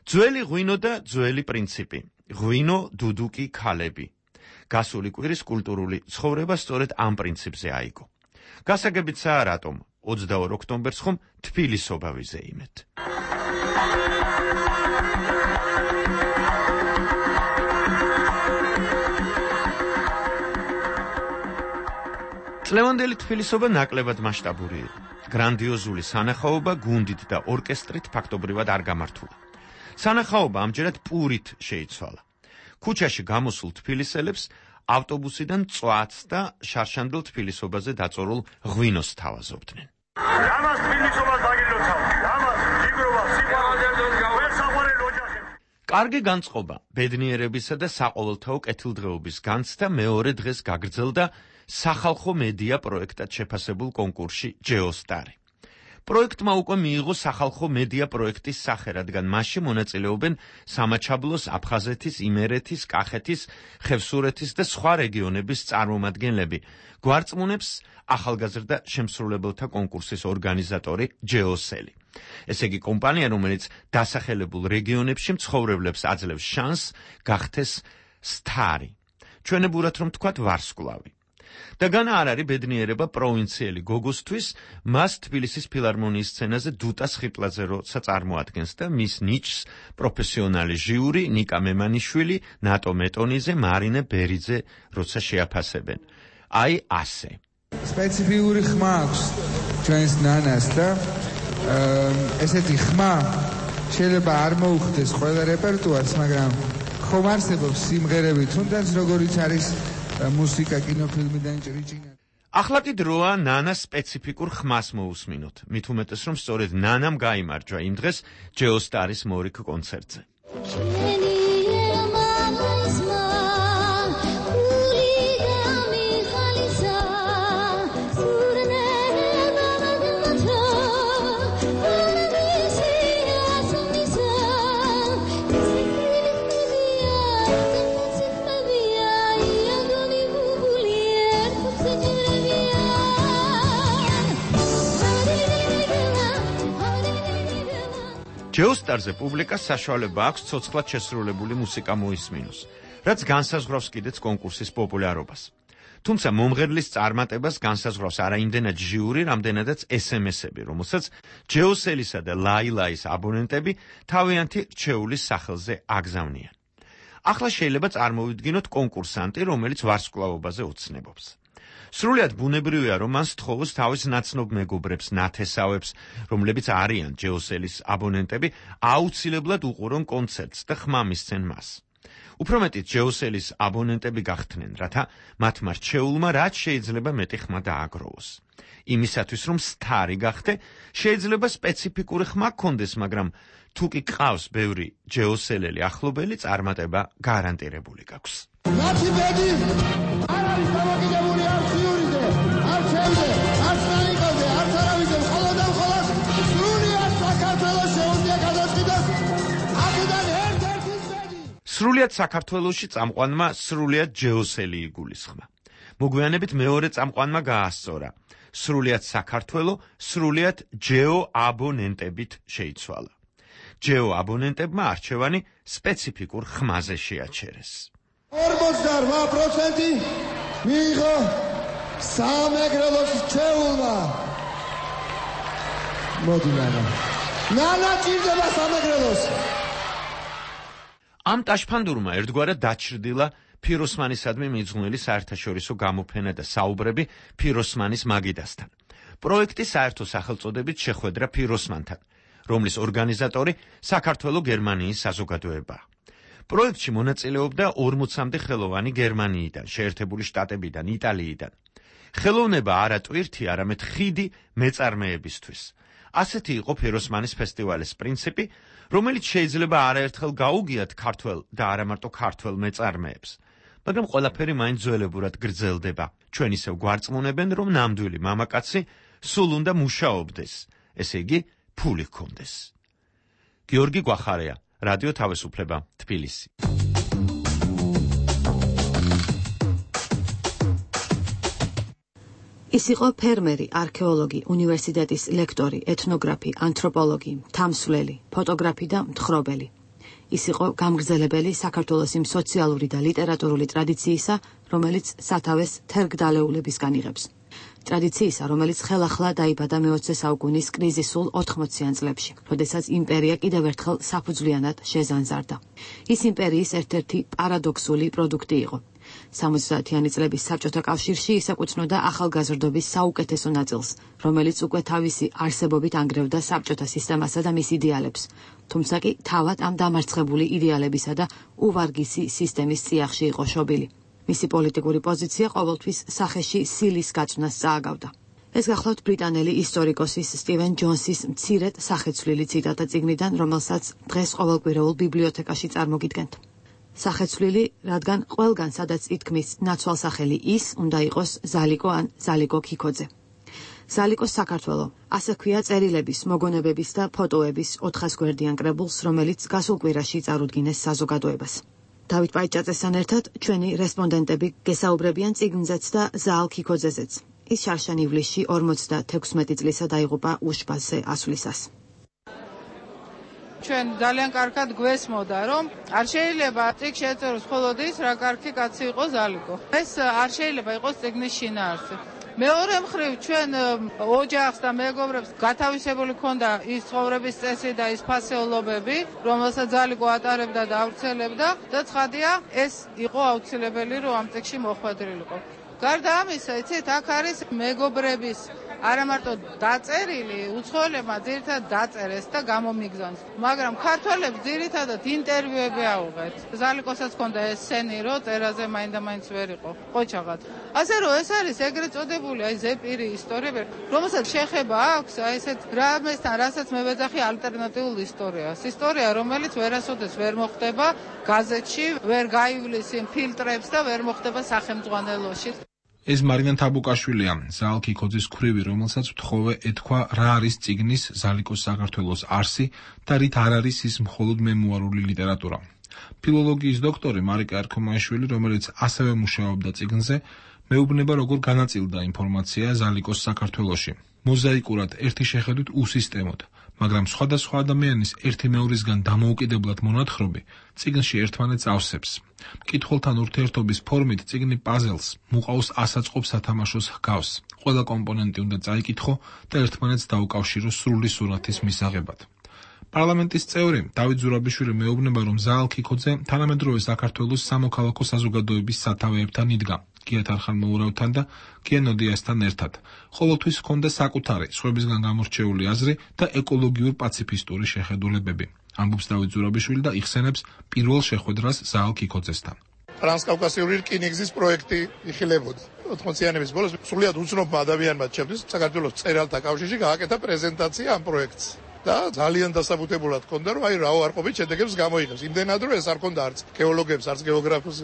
ძველი ღვინო და ძველი პრინციპი. ღვინო, დუდუკი, ქალები. გასული კვირის კულტურული ცხოვრება სწორედ ამ პრინციპზე აიგო. გასაგებიცაა რატომ ოცდაორ ოქტომბერს ხომ თბილისობა ვიზეიმეთ. წლევანდელი თბილისობა ნაკლებად მასშტაბური იყო. გრანდიოზული სანახაობა გუნდით და ორკესტრით ფაქტობრივად არ გამართულა. სანახაობა ამჯერად პურით შეიცვალა. ქუჩაში გამოსულ თბილისელებს ავტობუსიდან წვაც და შარშანდელ თბილისობაზე დაწორულ ღვინოს თავაზობდნენ. ამას თბილისობას დაგილოცავ. ამას იგროვა სიყვარულს გავესაყვარელ ოჯახებს. კარგი განწყობა ბედნიერებისა და საყოველთაო კეთილდღეობის განცდა მეორე დღეს გაგრძელდა სახალხო მედია პროექტად შეფასებულ კონკურსში ჯეოსტარი. პროექტმა უკვე მიიღო სახალხო მედია პროექტის სახე, რადგან მასში მონაწილეობენ სამაჩაბლოს, აფხაზეთის, იმერეთის, კახეთის, ხევსურეთის და სხვა რეგიონების წარმომადგენლები. გვარწმუნებს ახალგაზრდა შემსრულებელთა კონკურსის ორგანიზატორი ჯეოსელი. ესე იგი კომპანია, რომელიც დასახელებულ რეგიონებში მცხოვრებლებს აძლევს შანსს გახდეს სტარი. ჩვენებურად რომ თქვათ ვარსკვლავი. და განა არ არის ბედნიერება პროვინციელი გოგოსთვის, მას თბილისის ფილარმონიის სცენაზე დუტა სხიპლაძე როცა წარმოადგენს და მის ნიჭს პროფესიონალი ჟიური ნიკა მემანიშვილი, ნატო მეტონიძე, მარინე ბერიძე როცა შეაფასებენ. აი ასე. სპეციფიური ხმა აქვს ჩვენს ნანას და ესეთი ხმა შეიძლება არ მოუხდეს ყველა რეპერტუარს, მაგრამ ხომ არსებობს სიმღერები, თუნდაც როგორიც არის მუსიკა, კინოფილმი და ჭრიჭინა. ახლა კი დროა ნანას სპეციფიკურ ხმას მოусმინოთ. მით უმეტეს რომ სწორედ ნანამ გაიმარჯვა იმ დღეს ჯეოსტარის მორიგ კონცერტზე. ჯეოსტარზე პუბლიკას საშუალება აქვს ცოცხლად შესრულებული მუსიკა მოისმინოს, რაც განსაზღვრავს კიდეც კონკურსის პოპულარობას. თუმცა მომღერლის წარმატებას განსაზღვრავს არა იმდენად ჟიური, რამდენადაც ეს ემ ესები, რომელსაც ჯეოსელისა და ლაილაის აბონენტები თავიანთი რჩეულის სახელზე აგზავნიან. ახლა შეიძლება წარმოვიდგინოთ კონკურსანტი, რომელიც ვარსკვლავობაზე ოცნებობს. სრულიად ბუნებრივია, რომ მან სთხოვოს თავის ნაცნობ მეგობრებს, ნათესავებს, რომლებიც არიან ჯეოსელის აბონენტები, აუცილებლად უყურონ კონცერტს და ხმა მისცენ მას. უფრო მეტიც ჯეოსელის აბონენტები გახდნენ, რათა მათმა რჩეულმა რაც შეიძლება მეტი ხმა დააგროვოს. იმისათვის, რომ სტარი გახდე, შეიძლება სპეციფიკური ხმა გქონდეს, მაგრამ თუ კი ყავს ბევრი ჯეოსელელი ახლობელი, წარმატება გარანტირებული გაქვს. მათი ბედი არ არის დამოკიდებული არც იურიზე, არც ჩემზე, არც ნანიკოზე, არც არავისზე, მხოლოდ და მხოლოდ სრულიად საქართველოს შეუძლია გადაწყვიტოს აქედან ერთ-ერთის ბედი. სრულიად საქართველოში წამყვანმა სრულიად ჯეოსელი იგულისხმა. მოგვიანებით მეორე წამყვანმა გაასწორა. სრულიად საქართველო სრულიად ჯეო აბონენტებით შეიცვალა. ჯეო აბონენტებმა არჩევანი სპეციფიკურ ხმაზე შეაჩერეს. ორმოცდაორ პროცენტი მიიღო სამეგრელოს რჩეულმა. მოდი ნანა. ნანა ჭირდება სამეგრელოს. ამ ტაშფანდურმა ერთგვარად დაჩრდილა ფიროსმანისადმი მიძღვნილი საერთაშორისო გამოფენა და საუბრები ფიროსმანის მაგიდასთან. პროექტი საერთო სახელწოდებით შეხვედრა ფიროსმანთან, რომლის ორგანიზატორი საქართველო-გერმანიის საზოგადოებაა. პროექტში მონაწილეობდა ორმოცამდე ხელოვანი გერმანიიდან, შეერთებული შტატებიდან, იტალიიდან. ხელოვნება არა ტვირთი, არამედ ხიდი მეწარმეებისთვის. ასეთი იყო ფეროსმანის ფესტივალის პრინციპი, რომელიც შეიძლება არაერთხელ გაუგიათ ქართველ და არა მარტო ქართველ მეწარმეებს. მაგრამ ყველაფერი მაინც ძველებურად გრძელდება. ჩვენ ისევ გვარწმუნებენ, რომ ნამდვილი მამაკაცი სულ უნდა მუშაობდეს, ესე იგი, ფული ჰქონდეს. გიორგი გვახარია, რადიო თავისუფლება, თბილისი. ის იყო ფერმერი, არქეოლოგი, უნივერსიტეტის ლექტორი, ეთნოგრაფი, ანთროპოლოგი, თამსვლელი, ფოტოგრაფი და მთხრობელი. ის იყო გამგრძელებელი საქართველოს იმ სოციალური და ლიტერატურული ტრადიციისა, რომელიც სათავეს თერგდალეულებისგან იღებს. ტრადიციისა, რომელიც ხელახლა დაიბადა მეოცე საუკუნის კრიზისულ ოთხმოციან წლებში, როდესაც იმპერია კიდევ ერთხელ საფუძვლიანად შეზანზარდა. ის იმპერიის ერთ-ერთი პარადოქსული პროდუქტი იყო. სამოცდაათიანი წლების საბჭოთა კავშირში ის ეკუთვნოდა ახალგაზრდობის საუკეთესო ნაწილს, რომელიც უკვე თავისი არსებობით ანგრევდა საბჭოთა სისტემასა და მის იდეალებს, თუმცა კი თავად ამ დამარცხებული იდეალებისა და უვარგისი სისტემის წიაღში იყო შობილი. მისი პოლიტიკური პოზიცია ყოველთვის სახეში სილის გაწვნას წააგავდა. ეს გახლავთ ბრიტანელი ისტორიკოსის სტივენ ჯონსის მცირედ სახეცვლილი ციტატა წიგნიდან, რომელსაც დღეს ყოველკვირეულ ბიბლიოთეკაში წარმოგიდგენთ. სახეცვლილი, რადგან ყველგან სადაც ითქმის ნაცვალსახელი ის, უნდა იყოს ზალიკო ან ზალიკო ქიქოძე. ზალიკოს საქართველო, ასე ქვია წერილების, მოგონებების და ფოტოების ოთხას გვერდიან კრებულს, რომელიც გასულ კვირაში წარუდგინეს საზოგადოებას. დავით პაიჭაძესთან ერთად ჩვენი რესპონდენტები გესაუბრებიან წიგნზეც და ზაალ ქიქოძეზეც. ის შარშან ივლისში ორმოცდათექვსმეტი წლისა დაიღუპა უშბალზე ასვლისას. ჩვენ ძალიან კარგად გვესმოდა, რომ არ შეიძლება წიგნ შეეწეროს მხოლოდ ის, რა კარგი კაცი იყო ზალიკო. ეს არ შეიძლება იყოს წიგნის შინაარსი. მეორე მხრივ ჩვენ ოჯახს და მეგობრებს გათავისებული ქონდა ის ცხოვრების წესი და ის ფასეულობები, რომელსაც ზალიკო ატარებდა და ავრცელებდა და ცხადია, ეს იყო აუცილებელი, რომ ამ წიგნში მოხვედრილიყო. გარდა ამისა, იცით, აქ არის მეგობრების არა მარტო დაწერილი, უცხოელებმა ძირითადად დაწერეს და გამომიგზავნეს. მაგრამ ქართველებს ძირითადად ინტერვიუები აუღეთ. ზალიკოსაც ჰქონდა ეს სცენი, რომ წერაზე მაინდა-მაინც ვერ იყო, ყოჩაღად. ასე რომ ეს არის ეგრეთ წოდებული აი ზეპირი ისტორიები, რომელსაც შეხება აქვს აი ესეთ რამესთან, რასაც მე ვეძახი ალტერნატიულ ისტორიას. ისტორია, რომელიც ვერასოდეს ვერ მოხდება გაზეთში, ვერ გაივლის იმ ფილტრებს და ვერ მოხდება სახელმძღვანელოში. ეს მარინა თაბუკაშვილია, ზაალ ქიქოძის ქვრივი, რომელსაც ვთხოვე ეთქვა რა არის წიგნის ზალიკოს საქართველოს არსი და რით არ არის ის მხოლოდ მემუარული ლიტერატურა. ფილოლოგიის დოქტორი მარიკა ერქომაიშვილი, რომელიც ასევე მუშაობდა წიგნზე, მეუბნება როგორ განაწილდა ინფორმაცია ზალიკოს საქართველოში. მოზაიკურად ერთი შეხედვით უსისტემოდ, მაგრამ სხვადასხვა ადამიანის ერთი მეორისგან დამოუკიდებლად მონათხრობი წიგნში ერთმანეთს ავსებს. მკითხველთან ურთიერთობის ფორმით წიგნი პაზელს, მუყავს ასაწყობ სათამაშოს ჰგავს. ყველა კომპონენტი უნდა წაიკითხო და ერთმანეთს დაუკავშირო სრული სურათის მისაღებად. პარლამენტის წევრი დავით ზურაბიშვილი მეუბნება, რომ ზაალ ქიქოძე თანამედროვე საქართველოს სამოქალაქო საზოგადოების სათავეებთან იდგა, გიათ არხანმოურავთან და გია ნოდიასთან ერთად. ყოველთვის ჰქონდა საკუთარი, სხვებისგან გამორჩეული აზრი და ეკოლოგიურ პაციფისტური შეხედულებები. ამბობს დავით ზურაბიშვილი და იხსენებს პირველ შეხვედრას ზაალ ქიქოძესთან. ტრანსკავკასიური რკინიგზის პროექტი იხილებოდა. ოთხმოციანების ბოლოს სრულიად უცნობმა ადამიანმა ჩემთვის საქართველოს მწერალთა კავშირში გააკეთა პრეზენტაცია ამ პროექტს. და ძალიან დასაბუთებულად ჰქონდა, რომ აი რა უარყოფით შედეგებს გამოიღებს. იმდენად რომ ეს არ ჰქონდა არც გეოლოგებს, არც გეოგრაფებს,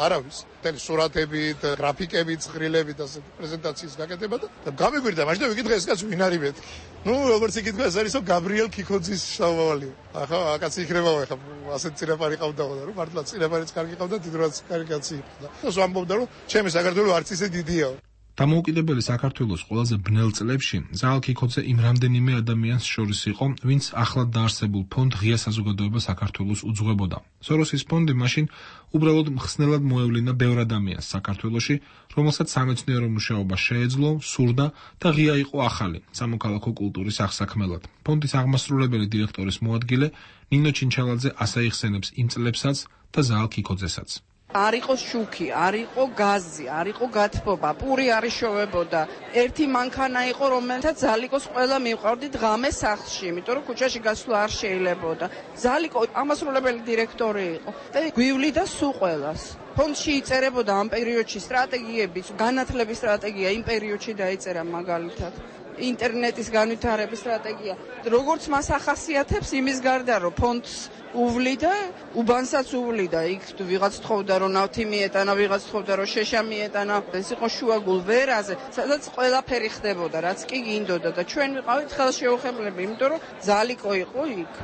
არავის. თელი სურათებით, გრაფიკებით, ცხრილებით და პრეზენტაციის გაკეთება და გამიგვირდა მაშინ და ვიკითხე ეს კაცი ვინ არის მეთქი. ნუ როგორც იკითხა ეს არის გაბრიელ ქიქოძის შთამომავალი. ახლა აკაცი იქნებაო ახლა ასეთ წინაპარი ყავდაო და რომ მართლა წინაპარიც კარგი ყავდა, დიდრაც კარგი კაცი იყო და ეს ამბობდა რომ ჩემი საქართველო არც ისე დიდიაო. დამოუკიდებელი საქართველოს ყველაზე ბნელ წლებში ზაალ ქიქოძე იმ რამდენიმე ადამიანს შორის იყო, ვინც ახლად დაარსებულ ფონდ ღია საზოგადოება საქართველოს უძღვებოდა. სოროსის ფონდი მაშინ უბრალოდ მხსნელად მოევლინა ბევრ ადამიანს საქართველოში, რომელსაც სამეცნიერო მუშაობა შეეძლო, სურდა და ღია იყო ახალი სამოქალაქო კულტურის აღსაქმელად. ფონდის აღმასრულებელი დირექტორის მოადგილე ნინო ჩინჩალაძე ასე იხსენებს იმ წლებსაც და ზაალ ქიქოძესაც. არ იყოს შუქი, არ იყო გაზი, არ იყო გათბობა, პური არ იშოვებოდა. ერთი მანქანა იყო, რომელთაც ზალიკოს ყველა მივყავდით ღამე სახლში, იმიტომ რომ ქუჩაში გასვლა არ შეიძლებოდა. ზალიკო ამასრულებელი დირექტორი იყო და გვივლიდა სულ ყველას. ფონდში იწერებოდა ამ პერიოდში სტრატეგიებიც, განათლების სტრატეგია იმ პერიოდში დაიწერა მაგალითად. ინტერნეტის განვითარების სტრატეგია. როგორც მას ახასიათებს იმის გარდა, რომ ფონდს უვლიდა, უბანსაც უვლიდა. იქ ვიღაც თხოვდა, რომ ნავთი მიეტანა, ვიღაც თხოვდა, რომ შეშა მიეტანა. ეს იყო შუაგულ ვერაზე, სადაც ყველაფერი ხდებოდა, რაც კი გინდოდა და ჩვენ ვიყავით ხელშეუხებლები, იმიტომ რომ ზალიკო იყო იქ.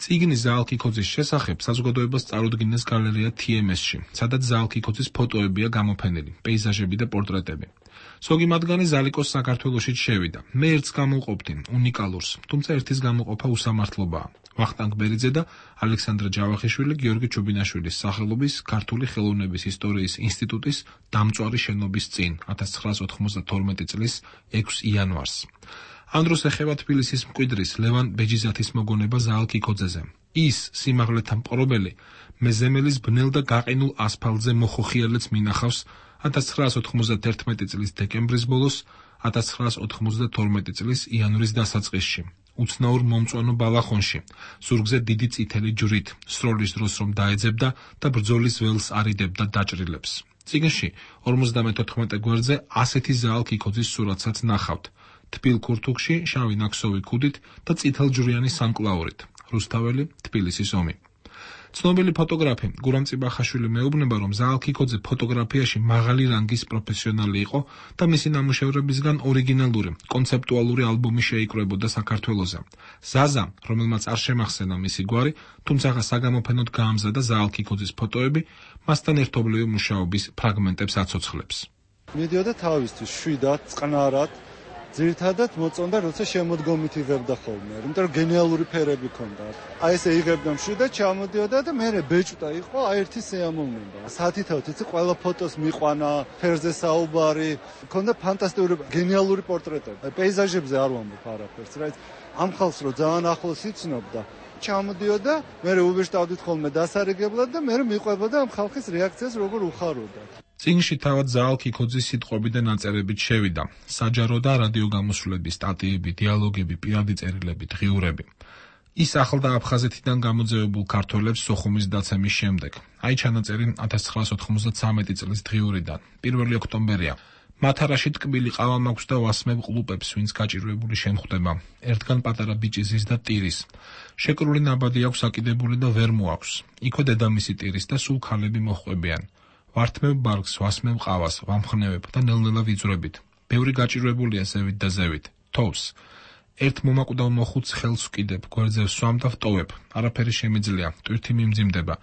წიგნი ზაალქიქოძის შესახებ საზოგადოებას წარუდგინეს გალერეა თი ემ ეს-ში, სადაც ზაალქიქოძის ფოტოებია გამოფენილი, პეიზაჟები და პორტრეტები. ზოგი მათგანი ზალიკოს საქართველოშიც შევიდა. მე ერთს გამოვყოფდი, უნიკალურს, თუმცა ერთის გამოყოფა უსამართლობაა. ვახტანგ ბერიძე და ალექსანდრე ჯავახიშვილი გიორგი ჩუბინაშვილის სახელობის ქართული ხელოვნების ისტორიის ინსტიტუტის დამწვარი შენობის წინ ათას ცხრაას ოთხმოცდათორმეტი წლის ექვსი იანვარს. ამ დროს ეხება თბილისის მკვიდრის ლევან ბეჯიზათის მოგონება ზაალქიქოძეზე. ის სიმაღლეთა მპყრობელი მეზემელის ბნელ და გაყინულ ასფალტზე მოხოხიალებს მინახავს ათას ცხრაას ოთხმოცდათერთმეტი წლის დეკემბრის ბოლოს, ათას ცხრაას ოთხმოცდათორმეტი წლის იანვრის დასაწყისში. უცნაურ მომწვანო ბალახონში, ზურგზე დიდი წითელი ჯვრით, სროლის დროს რომ დაეძებდა და ბრძოლის ველს არიდებდა დაჭრილებს. წიგნში ორმოცდამეთოთხმეტე გვერდზე ასეთი ზაალქიქოძის სურათსაც ნახავთ. თბილ ქურთუქში, შავი ნაკსოვი ქუდით და წითელჯვრიანი სამკლაურით. რუსთაველი, თბილისის ომი. ცნობილი ფოტოგრაფი გურამ წიბახაშვილი მეუბნება, რომ ზაალქიქოძე ფოტოგრაფიაში მაღალი რანგის პროფესიონალი იყო და მისი ნამუშევრებისგან ორიგინალური, კონცეპტუალური ალბომი შეიკრებოდა საქართველოზე. ზაზა, რომელმაც არ შემახსენა მისი გვარი, თუმცა საგამოფენოდ გაამზადა ზაალქიქოძის ფოტოები, მასთან ერთობლივი მუშაობის ფრაგმენტებს აცოცხლებს. მიდიოდა თავისთვის შვიდად, წყნარად, ძირითადად მოწონდა, როცა შემოდგომით იღებდა ხოლმე, იმიტომ რომ გენიალური ფერები ჰქონდა. აი ესე იღებდა მშვიდად, ჩამოდიოდა და მე ბეჭვდა იყო, აი ერთი შეამოვნება. სათითაოდ იცი, ყველა ფოტოს მიყვანა, ფერზე საუბარი, ჰქონდა ფანტასტიკური, გენიალური პორტრეტები. პეიზაჟებზე არ ვამბობ არაფერს, რა. ამ ხალხს რო ძალიან ახლოს იცნობდა, ჩამოდიოდა, მე უბეჭდავდით ხოლმე დასარიგებლად და მე მიყვებოდა ამ ხალხის რეაქციას, როგორ უხაროდა. წიგნში თავად ზაალქიქოძის სიტყვები და ნაწერებით შევიდა. საჯარო და რადიო გამოსვლები, სტატიები, დიალოგები, პირადი წერილები, დღიურები. ის ახლდა აფხაზეთიდან გამოძევებულ ქართველებს სოხუმის დაცემის შემდეგ. აი ჩანაწერი ათას ცხრაას ოთხმოცდათვრამეტი წლის დღიურიდან. პირველი ოქტომბერია. მათარაში ტკბილი ყავა მაქვს და ვასმებ ყლუპებს, ვინც გაჭირვებული შემხვდება. ერთგან პატარა ბიჭი ზის და ტირის. შეკრული ნაბადი აქვს აკიდებული და ვერ მოაქვს. იქვე დედამისი ტირის და სულ ქალები მოჰყვებიან. ვართმევ ბარგს, ვასმევ ყავას, ვამხნევებ და ნელ-ნელა ვიძვრებით. ბევრი გაჭირვებულია ზევით და ზევით. თოვს. ერთ მომაკვდავ მოხუც ხელს ვკიდებ, გვერდზე ვსვამ და ვტოვებ. არაფერი შემიძლია, ტვირთი მიმძიმდება.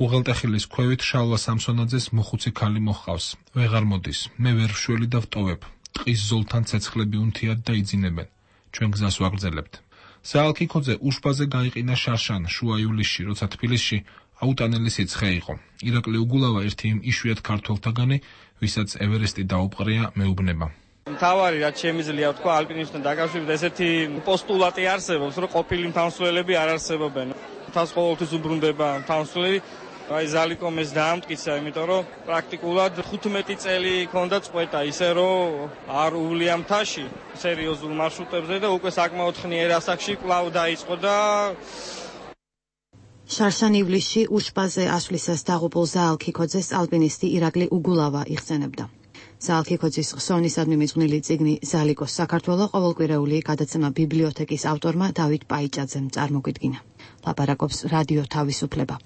უღელტეხილის ქვევით შალვა სამსონაძეს მოხუცი ქალი მოჰყავს. ვეღარ მოდის, მე ვერ ვშველი და ვტოვებ. ტყის ზოლთან ცეცხლები უნთიათ და იძინებენ. ჩვენ გზას ვაგრძელებთ. ზაალქიქოძე უშბაზე გაიყინა შარშან, შუა ივლისში, როცა თბილისში აუტანელი სიცხე იყო. ირაკლი უგულავა ერთი იმ იშვიათ ქართველთაგანი, ვისაც ევერესტი დაუპყრია, მეუბნება. მთავარი რაც შემიძლია თქვა ალპინისტთან დაკავშირებით, ესეთი პოსტულატი არსებობს, რომ ყოფილი მთავრსველები არ არსებობენ. თავს ყოველთვის უბრუნდება მთავრსვლელი. აი ზალიკომ ეს დაამტკიცა, იმიტომ რომ პრაქტიკულად ხუთმეტი წელი ჰქონდა წყვეტა, ისე რომ არ უვლია მთაში სერიოზულ მარშრუტებზე და უკვე საკმაოდ ხნიერ ასაკში კვლავ დაიწყო და შარშან ივლისში უშბაზე ასვლისას დაღუპულ ზაალქიქოძეს ალპინისტი ირაკლი უგულავა იხსენებდა. ზაალქიქოძის ხსოვნისადმი მიძღვნილი წიგნი ზალიკოს საქართველო ყოველკვირეული გადაცემა ბიბლიოთეკის ავტორმა დავით პაიჭაძემ წარმოგვიდგინა. ლაპარაკობს რადიო თავისუფლება.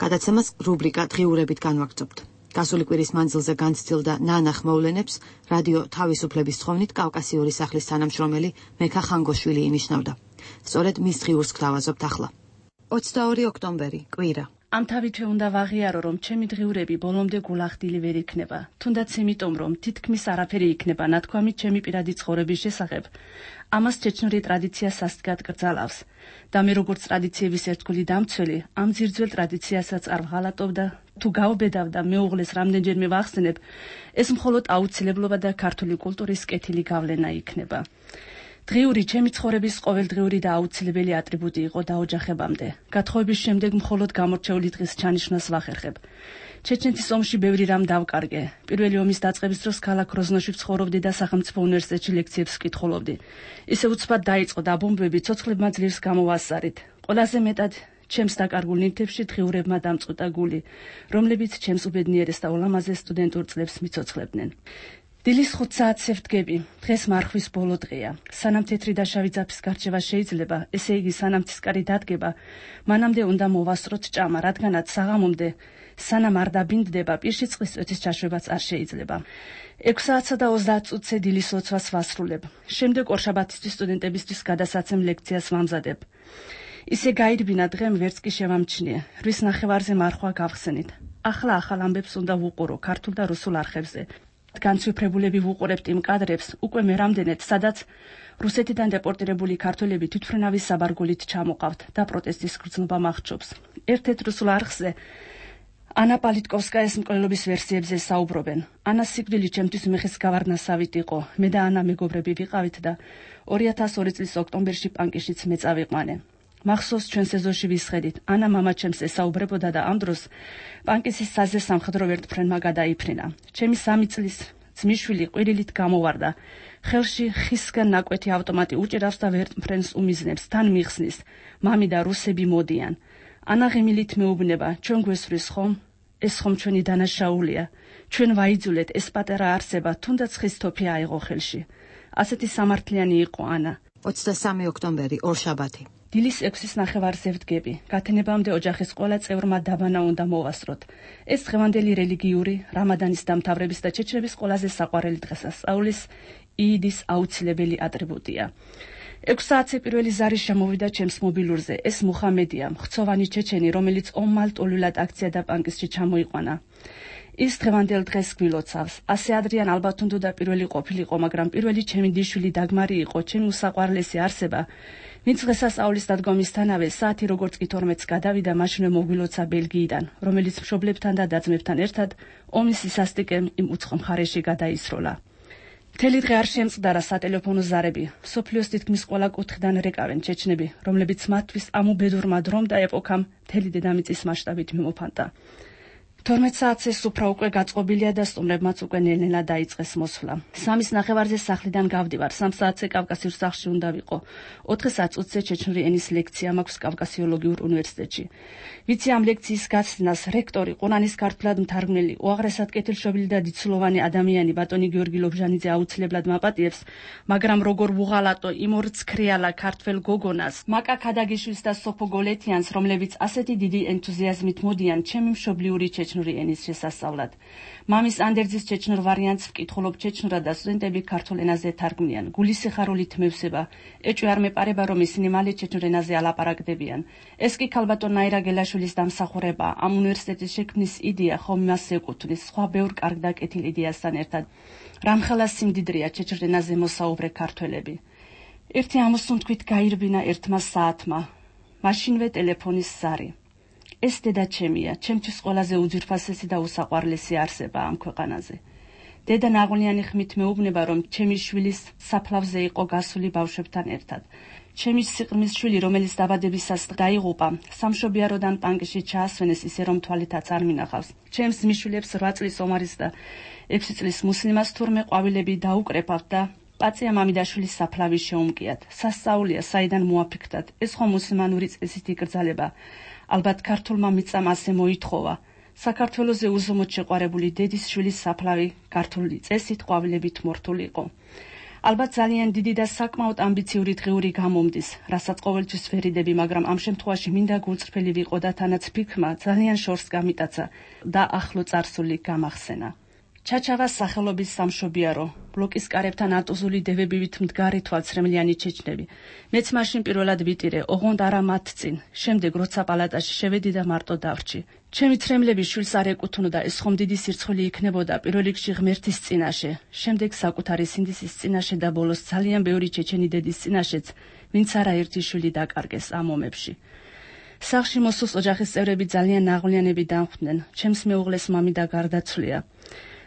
გადაცემას რუბრიკა დღიურებით განვაგრძობთ. გასული კვირის მანძილზე განცდილდა ნანახ მოვლენებს რადიო თავისუფლების თხოვნით კავკასიური სახლის თანამშრომელი მეკა ხანგოშვილი ინიშნავდა. სწორედ მის დღიურს გთავაზობთ ახლა. ოცდაორი ოქტომბერი, კვირა. ამ თავითვე უნდა ვაღიარო, რომ ჩემი დღიურები ბოლომდე გულახდილი ვერ იქნება, თუნდაც იმიტომ, რომ თითქმის არაფერი იქნება ნათქვამი ჩემი პირადი ცხოვრების შესახებ. ამას ჩეჩნური ტრადიცია სასტიკად კრძალავს და მე როგორც ტრადიციების ერთგული დამცველი, ამ ძირძველ ტრადიციასაც არ ვღალატობ და თუ გავბედავ და მეუღლეს რამდენჯერმე ვახსენებ, ეს მხოლოდ აუცილებლობა და ქართული კულტურის კეთილი გავლენა იქნება. დღიური ჩემი ცხოვრების ყოველდღიური და აუცილებელი ატრიბუტი იყო დაოჯახებამდე. გათხოვების შემდეგ მხოლოდ გამორჩეული დღის ჩანიშვნას ვახერხებ. ჩეჩნეთის ომში ბევრი რამ დავკარგე. პირველი ომის დაწყების დროს ქალაქ გროზნოში ვცხოვრობდი და სახელმწიფო უნივერსიტეტში ლექციებს ვკითხულობდი. ისე უცბად დაიწყო და ბომბები ცოცხლებმა ძლივს გამოვასწარით. ყველაზე მეტად ჩემს დაკარგულ ნივთებში დღიურებმა დამწყვიტა გული, რომლებიც ჩემს უბედნიერეს და ულამაზეს სტუდენტურ წლებს მიცოცხლებდნენ. დილის ხუთ საათზე ვდგები. დღეს მარხვის ბოლო დღეა. სანამ თეთრი და შავი ძაფის გარჩევა შეიძლება, ესე იგი სანამ ცისკარი დადგება, მანამდე უნდა მოვასწროთ ჭამა, რადგანაც საღამომდე სანამ არ დაბინდდება, პირში წყლის წვეთის ჩაშვებაც არ შეიძლება. ექვს საათსა და ოცდაათ წუთზე დილის ლოცვას ვასრულებ. შემდეგ ორშაბათისთვის სტუდენტებისთვის გადასაცემ ლექციას ვამზადებ. ისე გაირბინა დღემ ვერც კი შევამჩნიე. რვის ნახევარზე მარხვა გავხსენით. ახლა ახალ ამბებს უნდა ვუყურო ქართულ და რუსულ არხებზე. განცვიფრებულები ვუყურებთ იმ კადრებს, უკვე მე რამდენად, სადაც რუსეთიდან დეპორტირებული ქართველები თვითმფრინავის საბარგულით ჩამოყავთ და პროტესტის გრძნობა მახრჩობს. ერთ-ერთ რუსულ არხზე ანა პოლიტკოვსკაის მკვლელობის ვერსიებზე საუბრობენ. ანას სიკვდილი ჩემთვის მეხესგავარნასავით იყო. მე და ანა მეგობრები ვიყავით და ორი ათას ორი წლის ოქტომბერში პანკიშიც მე წავიყვანე. მახსოვს ჩვენ სეზონში ვისხედით. ანა მამა ჩემს ესაუბრებოდა და ამ დროს პანკისის საზზე სამხედრო ვერტმფრენმა გადაიფრინა. ჩემი სამი წლის ძმისშვილი ყვირილით გამოვარდა. ხელში ხისგან ნაკვეთი ავტომატი უჭირავს და ვერტმფრენს უმიზნებს, თან მიხსნის. მამი და რუსები მოდიან. ანა ღიმილით მეუბნება, ჩვენ გვესვრის ხომ? ეს ხომ ჩვენი დანაშაულია. ჩვენ ვაიძულეთ, ეს პატარა არსება, თუნდაც ხის თოფი აიღო ხელში. ასეთი სამართლიანი იყო ანა. ოცდასამი ოქტომბერი, ორშაბათი. დილის ექვსის ნახევარზე ვდგები. გათენებამდე ოჯახის ყველა წევრმა დაბანა უნდა მოვასწროთ. ეს დღევანდელი რელიგიური, რამადანის დამთავრების და ჩეჩნების ყველაზე საყვარელი დღესასწაულის იდის აუცილებელი ატრიბუტია. ექვს საათზე პირველი ზარი შემოვიდა ჩემს მობილურზე. ეს მუხამედია, მხცოვანი ჩეჩენი, რომელიც ომმალტულილად აქცია და პანკისში ჩამოიყვანა. ის დღევანდელ დღეს გვილოცავს. ასე ადრიან ალბათ უნდა პირველი ყოფილიყო, მაგრამ პირველი ჩემი დიშვილი დაგმარი იყო, ჩემი უსაყვარლესი არსება. ვინც დღესასწაულის დადგომისთანავე საათი როგორც კი თორმეტს გადავიდა, მაშინვე მოგვილოცა ბელგიიდან, რომელიც მშობლებთან და და-ძმებთან ერთად ომის სისასტიკემ იმ უცხო მხარეში გადაისროლა. მთელი დღე არ შემწყდარა სატელეფონო ზარები. მსოფლიოს თითქმის ყველა კუთხიდან რეკავენ ჩეჩნები, რომლებიც მათთვის ამ უბედურმა დრომ და ეპოქამ მთელი დედამიწის მასშტაბით მიმოფანტა. თორმეტ საათზე სუფრა უკვე გაწყობილია და სტუმრებმაც უკვე ნელ-ნელა დაიწყეს მოსვლა. სამის ნახევარზე სახლიდან გავდივარ, სამ საათზე კავკასიურ სახლში უნდა ვიყო. ოთხ წუთზე ჩეჩნური ენის ლექცია მაქვს კავკასიოლოგიურ უნივერსიტეტში. ვიცი ამ ლექციის გაცნას რექტორი, ყურანის ქართულად მთარგმნელი, უაღრესად კეთილშობილი და დიდწულოვანი ადამიანი ბატონი გიორგი ლობჟანიძე აუცილებლად მაპატიებს, მაგრამ როგორ ვუღალატო იმ ორ ცქრიალა ქართველ გოგონას, მაკა ქადაგიშვილს და სოფო გოლეთიანს, რომლებიც ასეთი დიდი ენთუზიაზმით მოდიან ჩემი მშობლიური ჩეჩნური ენის შესასწავლად. მამის ანდერძის ჩეჩნურ ვარიანტს ვკითხულობ ჩეჩნურად და სტუდენტები ქართულ ენაზე თარგმნიან. გულის სიხარულით მევსება. ეჭვი არ მეპარება, რომ ისინი მალე ჩეჩნურ ენაზე ალაპარაკდებიან. ეს კი ქალბატონ ნაირა გელაშვილის დამსახურება. ამ უნივერსიტეტის შექმნის იდეა ხომ იმას ეკუთვნის, სხვა ბევრ კარგ და კეთილ იდეასთან ერთად. რამხელა სიმდიდრეა ჩეჩნურ ენაზე მოსაუბრე ქართველები. ერთი ამოსუნთქვით გაირბინა ერთმა საათმა. მაშინვე ტელეფონის ზარი. ეს დედა ჩემია, ჩემთვის ყველაზე უძვირფასესი და უსაყვარლესი არსება ამ ქვეყანაზე. დედა ნაღვლიანი ხმით მეუბნება, რომ ჩემი შვილის საფლავზე იყო გასული ბავშვებთან ერთად. ჩემი სიყრმის შვილი, რომელიც დაბადებისას დაიღუპა, სამშობიაროდან პანკში ჩაასვენეს, ისე რომ თვალითაც არ მინახავს. ჩემს მიშვილებს რვა წლის ომარის და ექვსი წლის მუსლიმას თურმე ყვავილები დაუკრეფავთ და პაწია მამიდაშვილის საფლავი შეუმკიათ. სასწაულია, საიდან მოაფიქრდათ, ეს ხომ მუსლიმანური წესით იკრძალება. ალბათ ქართულმა მიწამ ასე მოითხოვა. საქართველოზე უზომოდ შეყვარებული დედის შვილის საფლავი ქართული წესით ყვავილებით მორთული იყო. ალბათ ძალიან დიდი და საკმაოდ ამბიციური დღიური გამომდის, რასაც ყოველთვის ვერიდები, მაგრამ ამ შემთხვევაში მინდა გულწრფელი ვიყო და თანაც ფიქრმა ძალიან შორს გამიტაცა და ახლო წარსული გამახსენა. ჩაჩავას სახელობის სამშობიარო, ბლოკის კარებთან ატუზული დევებივით მდგარი თვალცრემლიანი ჩეჩნები. მეც მაშინ პირველად ვიტირე, ოღონდ არა მათ წინ. შემდეგ როცა პალატაში შევედი და მარტო დავრჩი. ჩემი ცრემლები შვილს არ ეკუთვნოდა, ეს ხომ დიდი სირცხული იქნებოდა პირველ რიგში ღმერთის წინაშე, შემდეგ საკუთარი სინდისის წინაშე და ბოლოს ძალიან ბევრი ჩეჩენი დედის წინაშეც, ვინც არაერთი შვილი დაკარგეს ამ ომებში. სახლში მოსულს ოჯახის წევრები ძალიან ნაღვლიანები დამხვდნენ. ჩემს მეუღლეს მამი და გარდაცვლია.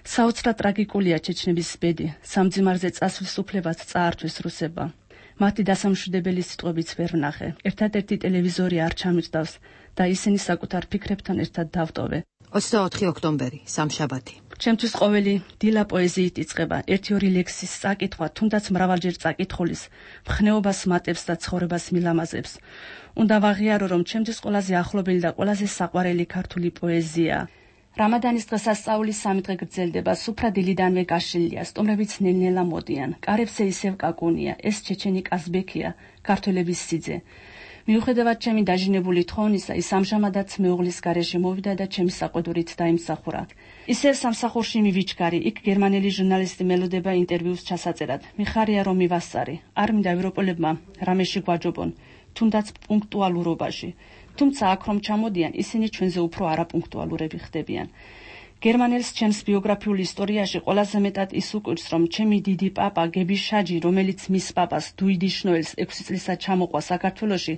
საოცრად ტრაგიკულია ჩეჩნების ბედი, სამძიმარზე წასვლის უფლებაც წაართვეს რუსებმა. მათი დასამშვიდებელი სიტყვებიც ვერ ვნახე. ერთადერთი ტელევიზორი არ ჩამიგდავს და ისინი საკუთარ ფიქრებთან ერთად დავტოვე. ოცდაოთხი ოქტომბერი, სამშაბათი. ჩემთვის ყოველი დილა პოეზიით იწყება. ერთი-ორი ლექსის წაკითხვა, თუნდაც მრავალჯერ წაკითხulis, მხნეობას მატებს და ცხოვრებას მილამაზებს. უნდა ვაღიარო, რომ ჩემთვის ყველაზე ახლობელი და ყველაზე საყვარელი ქართული პოეზია. რამადანის დღესასწაულის სამი დღე გრძელდება, სუფრა დილიდანვე გაშლილია, სტუმრებიც ნელ-ნელა მოდიან. კარებზე ისევ კაკუნია, ეს ჩეჩენი კაზბექია, ქართველების სიძე. მიუხედავად ჩემი დაჟინებული თხოვნისა, ის ამჟამადაც მეუღლის გარეშე მოვიდა და ჩემი საყვედურით დაიმსახურა. ისევ სამსახურში მივიჩქარი, იქ გერმანელი ჟურნალისტი მელოდება ინტერვიუს ჩასაწერად. მიხარია რომ მივასწარი, არ მინდა ევროპელებმა რამეში გვაჯობონ, თუნდაც პუნქტუალურობაში. თუმცა აქ რომ ჩამოდიან, ისინი ჩვენზე უფრო არაპუნქტუალურები ხდებიან. გერმანელს ჩემს ბიოგრაფიულ ისტორიაში ყველაზე მეტად ის უკვირს, რომ ჩემი დიდი პაპა გები შაჯი, რომელიც მის პაპას დუიდი შნოელს ექვსი წლისად ჩამოყვა საქართველოში,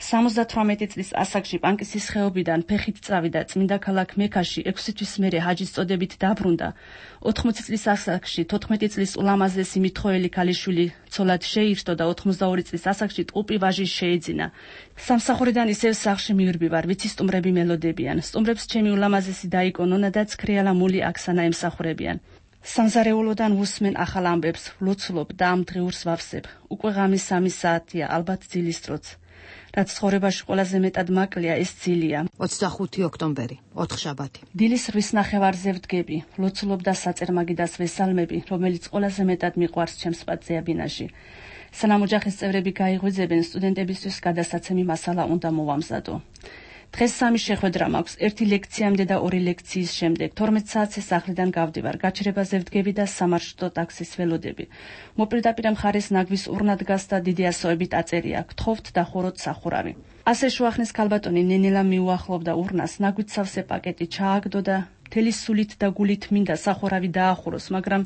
სამოცდათვრამეტი წლის ასაკში პანკისის ხეობიდან ფეხით წავიდა წმინდა ქალაქ მექაში, ექვსი თვის მერე ჰაჯის წოდებით დაბრუნდა. ოთხმოცი წლის ასაკში თოთხმეტი წლის ულამაზესი მithოელი ქალიშვილი ცოლად შეირთო და ოცდაორი წლის ასაკში ტყუპი ვაჟი შეეძინა. სამსახურიდან ისევ სახლში მივირბივარ, ვიცი სტუმრები მელოდებიან. სტუმრებს ჩემი ულამაზესი დაიკონონა და ცქრიალა მული აქსანა ემსახურებიან. სამზარეულოდან უსმენ ახალ ამბებს, ვლოცულობ და ამ დღეურს ვავსებ. უკვე ღამის სამი საათია, ალბათ ძილის დროც. რაც ცხოვრებაში ყველაზე მეტად მაკლია, ეს ძილია. ოცდახუთი ოქტომბერი, ოთხშაბათი. დილის რვის ნახევარზე ვდგები, ვლოცულობ და საწერ-მაგიდას ვესალმები, რომელიც ყველაზე მეტად მიყვარს ჩემს პატზეაბინაში. სანამ ოჯახის წევრები გაიღვიძებენ, სტუდენტებისთვის გადასაცემი მასალა უნდა მოვამზადო. დღეს სამი შეხვედრა მაქვს, ერთი ლექციამდე და ორი ლექციის შემდეგ. თორმეტ საათზე სახლიდან გავდივარ, გაჩერებაზე ვდგები და სამარშრუტო ტაქსის ველოდები. მოპირდაპირე მხარეს ნაგვის ურნა დგას და დიდი ასოებით აწერია, გთხოვთ დახუროთ სახურავი. ასე შუახნის ქალბატონი ნენელა მიუახლოვდა ურნას, ნაგვით სავსე პაკეტი ჩააგდო და მთელი სულით და გულით მინდა სახურავი დაახუროს, მაგრამ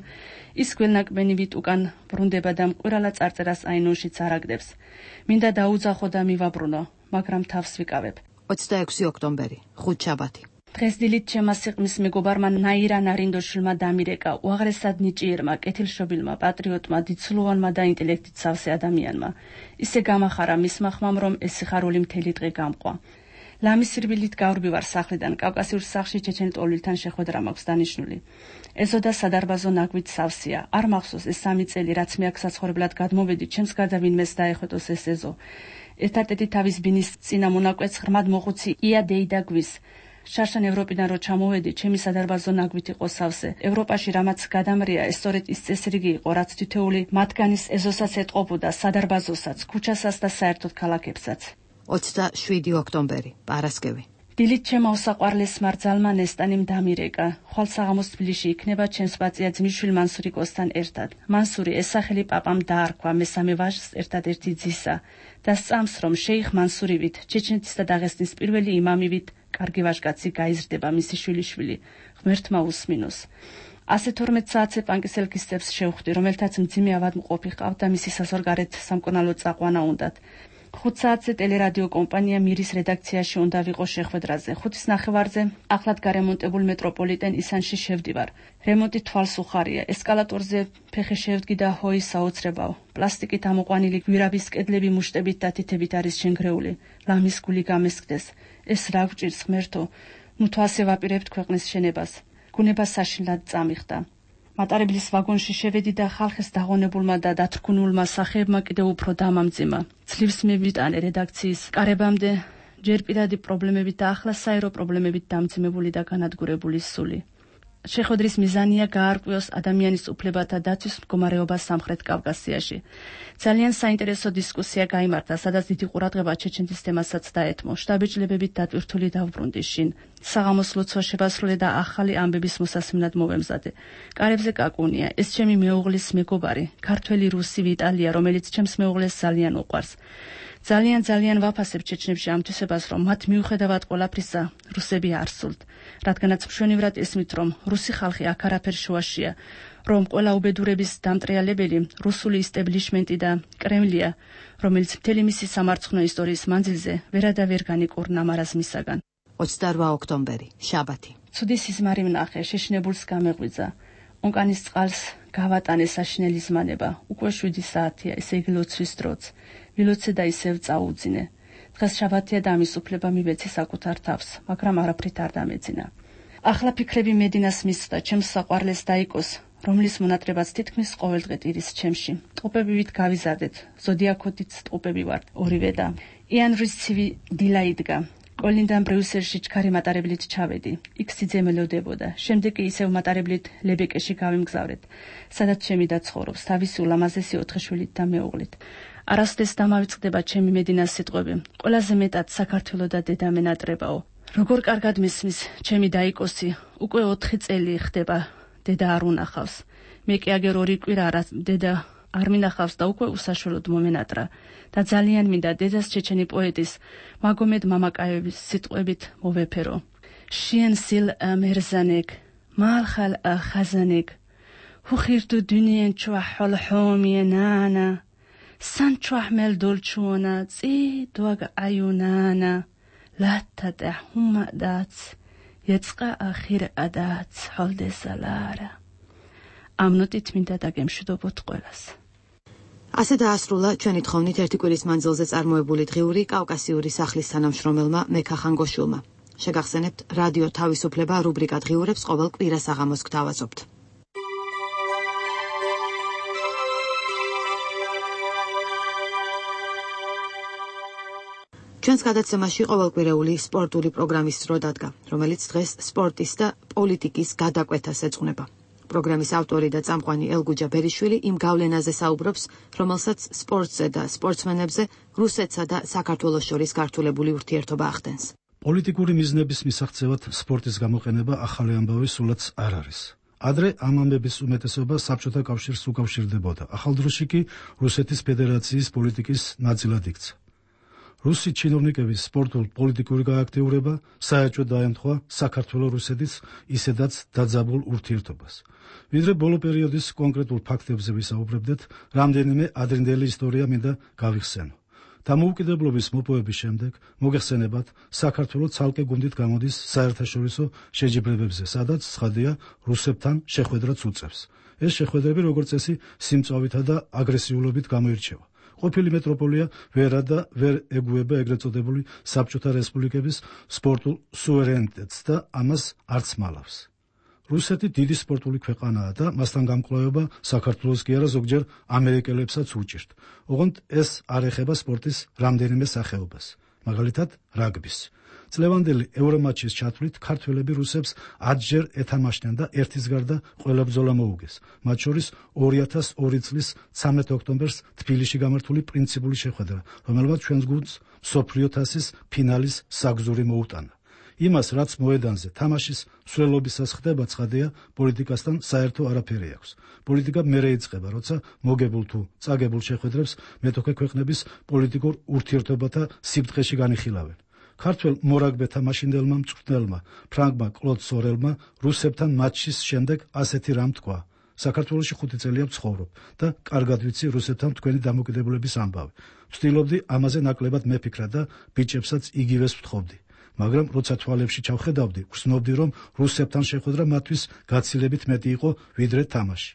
ის გველნაკბენივით უკან ბრუნდება და მკვირალა წარწერას აინონშიც არაგდებს. მინდა დაუძახო და მივაბრუნო, მაგრამ თავს ვიკავებ. ოცდაექვსი ოქტომბერი, ხუთშაბათი. დღეს დილით ჩემმა სიყმის მეგობარმა ნაირა ნარინდოშვილმა დამირეკა, უაღრესად ნიჭიერმა, კეთილშობილმა, პატრიოტმა, დიდსულოვანმა და ინტელექტით სავსე ადამიანმა. ისე გამახარა მისმა ხმამ, რომ ეს სიხარული მთელი დღე გამყვა. ლამის სირბილით გავრბივარ სახლიდან, კავკასიურ სახლში ჩეჩენ ტოლვილთან შეხვედრა მაქვს დანიშნული. ეზო და სადარბაზო ნაგვით სავსეა. არ მახსოვს ეს სამი წელი, რაც მე აქ საცხოვრებლად გადმოვედი, ჩემს გარდა ვინმეს დაეხვეტოს ეს ეზო. ერთადერთი თავის ბინის წინა მონაკვეთს ღრმად მოხუცი ია დეიდა გვის. შარშან ევროპიდან რო ჩამოვედი, ჩემი სადარბაზო ნაგვით იყო სავსე. ევროპაში რამაც გადამრია, ეს სწორედ ის წესრიგი იყო, რაც თითოეული მათგანის ეზოსაც ეტყობოდა, სადარბაზოსაც, ქუჩასაც და საერთოდ ქალაქებსაც. ოცდაშვიდი ოქტომბერი, პარასკევი. დილით ჩემო საყვარლეს მარძალმა ნესტანიმ დამირეკა. ხვალ საღამოს თბილისში იქნება ჩემს პაწია ძმისშვილ მანსურიკოსთან ერთად. მანსური ეს სახელი პაპამ დაარქვა მესამე ვაჟს ერთადერთი ძისა და სწამს, რომ შეიხ მანსურივით, ჩეჩნეთის და დაღესტნის პირველი იმამივით, კარგი ვაჟკაცი გაიზრდება მისი შვილიშვილი, ღმერთმა უსმინოს. ასე თორმეტ საათზე პანკისელკისებს შევხვდი, რომელთაც მძიმე ავადმყოფი ჰყავთ და მისი საზღვარგარეთ სამკურნალო წაყვანა უნდათ. ხუთ საათზე ტელერადიო კომპანია მირის რედაქციაში უნდა ვიყო შეხვედრაზე. ხუთის ნახევარზე ახლად გარემონტებულ მეტროპოლიტენ ისანში შევდივარ. რემონტი თვალს უხარია. ესკალატორზე ფეხი შევდგი და ჰოი საოცრებავ. პლასტიკით ამოყვანილი გვირაბის კედლები მუშტებით და თითებით არის შენგრეული. ლამის გული გამესკდეს. ეს რა გვჭირს ღმერთო? ნუ თუ ასე ვაპირებთ ქვეყნის შენებას. გუნება საშინლად წამიხდა. მატარებლის ვაგონში შევედი და ხალხის დაღონებულმა და დათრგუნულმა სახეებმა კიდევ უფრო დამამძიმა. ძლივს მივიტანე რედაქციის კარებამდე, ჯერ პირადი პრობლემებით და ახლა საერო პრობლემებით დამძიმებული და განადგურებული სული. შეხვედრის მიზანია გაარკვიოს ადამიანის უფლებათა დაცვის მდგომარეობა სამხრეთ კავკასიაში. ძალიან საინტერესო დისკუსია გაიმართა, სადაც დიდი ყურადღება ჩეჩნეთის თემასაც დაეთმო. შტაბ-ბიჭლებებით დატვირთული დავბრუნდი შინ. საღამოს ლოცვა შევასრულე და ახალი ამბების მოსასმენად მოვემზადე. კარებზე კაკუნია, ეს ჩემი მეუღლის მეგობარი, ქართველი რუსი ვიტალია, რომელიც ჩემს მეუღლეს ძალიან უყვარს. ძალიან ძალიან ვაფასებ ჩეჩნებში ამ თვისებას, რომ მათ მიუხედავად ყველაფრისა, რუსები არ სულთ. რადგანაც მშვენივრად ესმით, რომ რუსი ხალხი აქ არაფერ შუაშია, რომ ყველა უბედურების დამტრიალებელი რუსული ისტებლიშმენტი და კრემლია, რომელიც მთელი მისი სამარცხნო ისტორიის მანძილზე ვერადავერ განიკურნა მარაზმისაგან. ოცდარვა ოქტომბერი, შაბათი. ცუდი სიზმარი ვნახე, შეშინებულს გამეღვიძა. ონკანის წყალს გავატანე საშინელი ზმანება. უკვე შვიდი საათია, ესე იგი ლოცვის დროც. ვილოცე და ისევ წაუძინე. დღეს შაბათია და ამის უფლება მივეცი საკუთარ თავს, მაგრამ არაფრით არ დამეძინა. ახლა ფიქრები მედინას მისვდა, ჩემს საყვარლეს დაიკოს, რომლის მონატრებაც თითქმის ყოველდღე ტირის ჩემში. ტყუპებივით გავიზარდეთ, ზოდიაქოდიც ტყუპები ვართ, ორივე და. იანვრის ცივი დილა იდგა. კოლინდან ბრიუსელში ჩქარი მატარებლით ჩავედი. იქ სიძე მელოდებოდა. შემდეგ კი ისევ მატარებლით ლებეკეში გავიმგზავრეთ, სადაც ჩემი და ცხოვრობს, თავისი ულამაზესი ოთხი შვილით და მეუღლით. არასდროს დამავიწყდება ჩემი მედინას სიტყვები. ყველაზე მეტად საქართველო და დედა მენატრებაო. როგორ კარგად მისმის ჩემი დაიკოსი, უკვე ოთხი წელი ხდება დედა არ უნახავს. მე კი აგერ ორი კვირა არა დედა არ მინახავს და უკვე უსაშველოდ მომენატრა და ძალიან მინდა დედას ჩეჩენი პოეტის მაგომედ მამაკაევის სიტყვებით მოვეფერო. შენ სილ მერზანეკ მალხალ ხაზანეკ ხუხირტუ დუნიენ ჩვა ჰოლჰომიანანა სან ჩვაჰმელ დოლჩუნა წი დვაგ აიუნანა ლათატა ჰუმადაც ეწყა ახირ ადაც ჰოლდესალარა. ამ ნოტით მინდა დაგემშვიდობოთ ყველას. ასე დაასრულა ჩვენი თხოვნით ერთი კვირის მანძილზე წარმოებული დღიური კავკასიური სახლის თანამშრომელმა მექა ხანგოშულმა. შეგახსენებთ, რადიო თავისუფლება რუბრიკა დღიურებს ყოველ კვირას აღამოს გთავაზობთ. ჩვენს გადაცემაში ყოველკვირეული სპორტული პროგრამის დრო დადგა, რომელიც დღეს სპორტის და პოლიტიკის გადაკვეთას ეძღვნება. პროგრამის ავტორი და წამყვანი ელგუჯა ბერიშვილი იმ გავლენაზე საუბრობს, რომელსაც სპორტზე და სპორტსმენებზე რუსეთსა და საქართველოს შორის გართულებული ურთიერთობა ახდენს. პოლიტიკური მიზნების მისაღწევად სპორტის გამოყენება ახალი ამბავი სულაც არ არის. ადრე ამ ამბების უმეტესობა საბჭოთა კავშირს უკავშირდებოდა, ახალ დროში კი რუსეთის ფედერაციის პოლიტიკის ნაწილად იქცა. რუსი ჩინოვნიკების სპორტულ-პოლიტიკური გააქტიურება საერთოდ დაემთხვა საქართველო-რუსეთის ისედაც დაძაბულ ურთიერთობას. ვიდრე ბოლო პერიოდის კონკრეტულ ფაქტებზე ვისაუბრებდეთ, რამდენიმე ადრინდელი ისტორია მინდა გავიხსენო. დამოუკიდებლობის მოპოვების შემდეგ მოგეხსენებათ, საქართველო ცალკე გუნდით გამოდის საერთაშორისო შეჯიბრებებზე, სადაც ცხადია რუსებთან შეხვედრაც უწევს. ეს შეხვედრები როგორც წესი სიმწვავითა და აგრესიულობით გამოირჩევა. ყოფილი მეტროპოლია ვერა და ვერ ეგუება ეგრეთ წოდებული საბჭოთა რესპუბლიკების სპორტულ სუვერენიტეტს და ამას არც მალავს. რუსეთი დიდი სპორტული ქვეყანაა და მასთან გამკლავება საქართველოს კი არა ზოგჯერ ამერიკელებსაც უჭირთ. ოღონდ ეს არ ეხება სპორტის რამდენიმე სახეობას, მაგალითად რაგბის. წლევანდელი ევრომატჩის ჩათვლით ქართველები რუსებს ათჯერ ეთამაშნენ და ერთის გარდა ყველა ბრძოლა მოუგეს. მათ შორის ორი ათას ორი წლის ცამეტ ოქტომბერს თბილისში გამართული პრინციპული შეხვედრა, რომელმაც ჩვენს გუნდს მსოფლიო თასის ფინალის საგზური მოუტანა. იმას, რაც მოედანზე თამაშის მსვლელობისას ხდება, ცხადია, პოლიტიკასთან საერთო არაფერი აქვს. პოლიტიკა მერე იწყება, როცა მოგებულ თუ წაგებულ შეხვედრებს მეტოქე ქვეყნების პოლიტიკურ ურთიერთობათა სიბრტყეში განიხილავენ. ქართველ მორაგბეთა მაშინდელმა მწვრთნელმა ფრანგმა კლოდ სორელმა რუსებთან მატჩის შემდეგ ასეთი რამ თქვა: საქართველოში ხუთი წელია ვცხოვრობ და კარგად ვიცი რუსებთან თქვენი დამოკიდებულების ამბავი. ვცდილობდი ამაზე ნაკლებად მეფიქრა და ბიჭებსაც იგივეს ვთხოვდი. მაგრამ როცა თვალებში ჩავხედავდი, ვგრძნობდი, რომ რუსებთან შეხვედრა მათთვის გაცილებით მეტი იყო ვიდრე თამაში.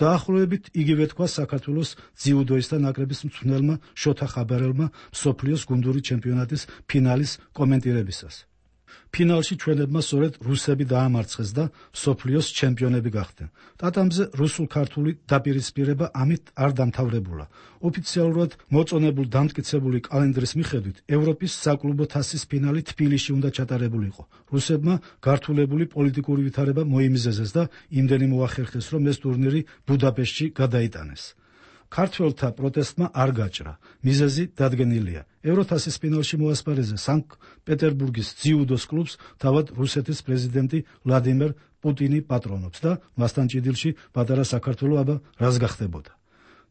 დაახლოებით იგივე თქვა საქართველოს ძიუდოისტთა ნაკრების მწვრთნელმა შოთა ხაბარელმა მსოფლიოს გუნდური ჩემპიონატის ფინალის კომენტირებისას. ფინალში ჩვენებმა სწორედ რუსები დაამარცხეს და მსოფლიოს ჩემპიონები გახდნენ. ტატამზე რუსულ-ქართული დაპირისპირება ამით არ დამთავრებულა. ოფიციალურად მოწონებულ დამტკიცებული კალენდრის მიხედვით ევროპის საკლუბო თასის ფინალი თბილისში უნდა ჩატარებულიყო. რუსებმა გართულებული პოლიტიკური ვითარება მოიმიზეზეს და იმდენი მოახერხეს, რომ ეს ტურნირი ბუდაპეშტში გადაიტანეს. ქართველთა პროტესტმა არ გაჭრა. მიზეზი დადგენილია. ევროთასის ფინალში მოასპარეზე სანქტ-პეტერბურგის ძიუდოს კლუბს თავად რუსეთის პრეზიდენტი ვლადიმერ პუტინი პატრონობს და მასთან ჭიდილში პატარა საქართველო აბა რას გახდებოდა.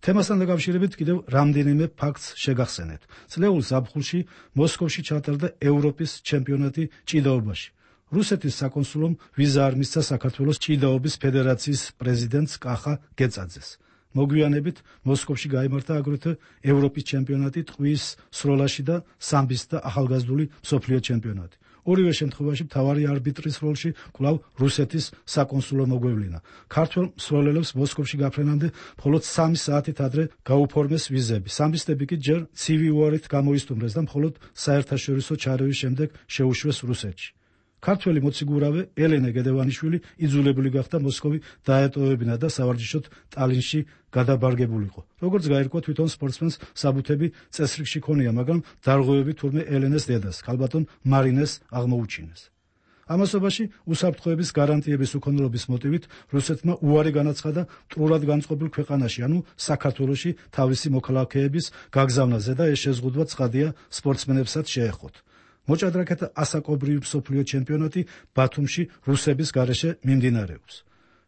თემასთან დაკავშირებით კიდევ რამდენიმე ფაქტს შეგახსენეთ. წლეულ ზაფხულში მოსკოვში ჩატარდა ევროპის ჩემპიონატი ჭიდაობაში. რუსეთის საკონსულომ ვიზა არ მისცა საქართველოს ჭიდაობის ფედერაციის პრეზიდენტს კახა გეწაძეს. მოგვიანებით მოსკოვში გაიმართა აგრეთვე ევროპის ჩემპიონატი ტყვის სროლაში და სამბის და ახალგაზრდული მსოფლიო ჩემპიონატი. ორივე შემთხვევაში მთავარი არბიტრის როლში კვლავ რუსეთის საკონსულო მოგვევლინა. ქართველ მსვლელელებს მოსკოვში გაფრენამდე მხოლოდ სამი საათით ადრე გაუფორმეს ვიზები. სამბისტები კი ჯერ ცივი უარით გამოისტუმრეს და მხოლოდ საერთაშორისო ჩარევის შემდეგ შეუშვეს რუსეთში. ქართველი მოციგურავე ელენე გედევანიშვილი იძულებული გახდა მოსკოვი დაეტოვებინა და სავარჯიშოდ ტალინში გადაბარგებულიყო. როგორც გაირკვა, თვითონ სპორტსმენს საბუთები წესრიგში ქონია, მაგრამ დარღვევები თურმე ელენეს დედას, ქალბატონ მარინეს აღმოუჩინეს. ამასობაში უსაფრთხოების გარანტიების უქონლობის მოტივით რუსეთმა უარი განაცხადა მტრულად განწყობილ ქვეყანაში, ანუ საქართველოში თავისი მოქალაქეების გაგზავნაზე და ეს შეზღუდვა ცხადია სპორტსმენებსაც შეეხოთ. მოჭადრაკეთა ასაკობრივი მსოფლიო ჩემპიონატი ბათუმში რუსების გარეშე მიმდინარეობს.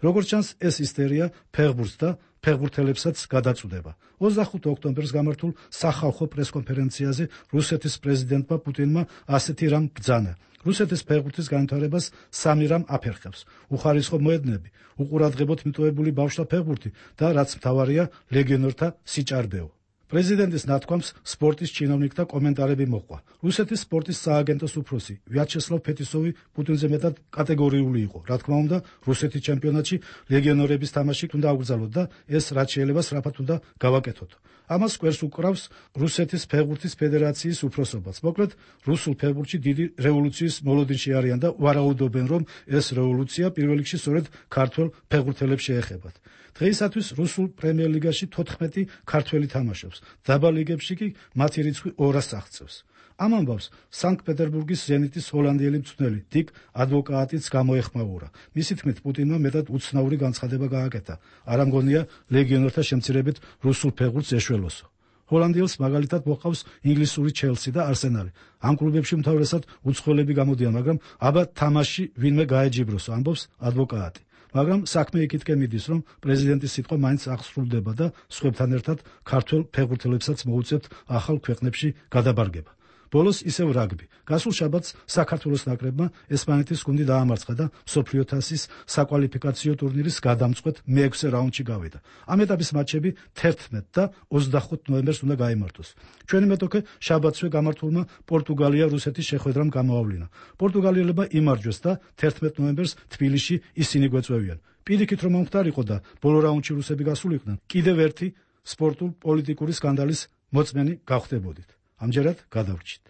როგორც ჩანს, ეს ისტერია ფეხბურთს და ფეხბურთელებსაც გადაწუდება. ოცდახუთი ოქტომბერს გამართულ სახალხო პრესკონფერენციაზე რუსეთის პრეზიდენტმა პუტინმა ასეთი რამ ბრძანა. რუსეთის ფეხბურთის განვითარებას სამი რამ აფერხებს: უხარისხო მოედნები, უყურადღებოდ მიტოვებული ბავშვთა ფეხბურთი და რაც მთავარია, ლეგიონერთა სიჭარბეო. პრეზიდენტის ნათქვამს სპორტის ჩინოვნიკთა კომენტარები მოჰყვა. რუსეთის სპორტის სააგენტოს უფროსი ვიაჩესლავ ფეტისოვი პუტინზე მეტად კატეგორიული იყო. რა თქმა უნდა, რუსეთის ჩემპიონატში ლეგიონერების თამაში უნდა აღვრძალოთ და ეს რაც შეიძლება სწრაფად უნდა გავაკეთოთ. ამას კვერს უკრავს რუსეთის ფეხბურთის ფედერაციის უფროსობაც. მოკლედ, რუსულ ფეხბურთში დიდი რევოლუციის მოლოდინში არიან და ვარაუდობენ, რომ ეს რევოლუცია პირველ რიგში სწორედ ქართველ ფეხბურთელებს შეეხებათ. დღეისათვის რუსულ პრემიერ ლიგაში თოთხმეტი ქართველი თამაშობს. დაბალ ლიგებში კი მათი რიცხვი ორას აღწევს. ამ ამბავს სანქტ-პეტერბურგის ზენიტის ჰოლანდიელი მწვრთნელი დიკ ადვოკატიც გამოეხმაურა. მისი თქმით, პუტინმა მეტად უცნაური განცხადება გააკეთა. არ ამგონია ლეგიონერთა შემცირებით რუსულ ფეხბურთს ეშველოსო. ჰოლანდიელს მაგალითად მოჰყავს ინგლისური ჩელსი და არსენალი. ამ კლუბებში უმთავრესად უცხოელები გამოდიან, მაგრამ აბა თამაში ვინმე გაეჯიბროსო, ამბობს ადვოკატი. მაგრამ საქმე იქითკენ მიდის, რომ პრეზიდენტის სიტყვა მაინც აღსრულდება და სხვებთან ერთად ქართველ ფეხბურთელებსაც მოუწევთ ახალ ქვეყნებში გადაბარგება. ბოლოს ისევ რაგბი. გასულ შაბათს საქართველოს ნაკრებმა ესპანეთის გუნდი დაამარცხა და მსოფლიო თასის საკვალიფიკაციო ტურნირის გადამწყვეტ მეექვსე რაუნდში გავიდა. ამ ეტაპის მატჩები თერთმეტ და ოცდახუთ ნოემბერს უნდა გაიმართოს. ჩვენი მეტოქე შაბათსვე გამართულმა პორტუგალია-რუსეთის შეხვედრამ გამოავლინა. პორტუგალიელებმა იმარჯვეს და თერთმეტ ნოემბერს თბილისში ისინი გვეწვევიან. პირიქით რომ მომხდარიყო და ბოლო რაუნდში რუსები გასულიყვნენ, კიდევ ერთი სპორტულ-პოლიტიკური სკანდალის მოწმენი გავხდებოდით. ამჯერად გადავრჩით.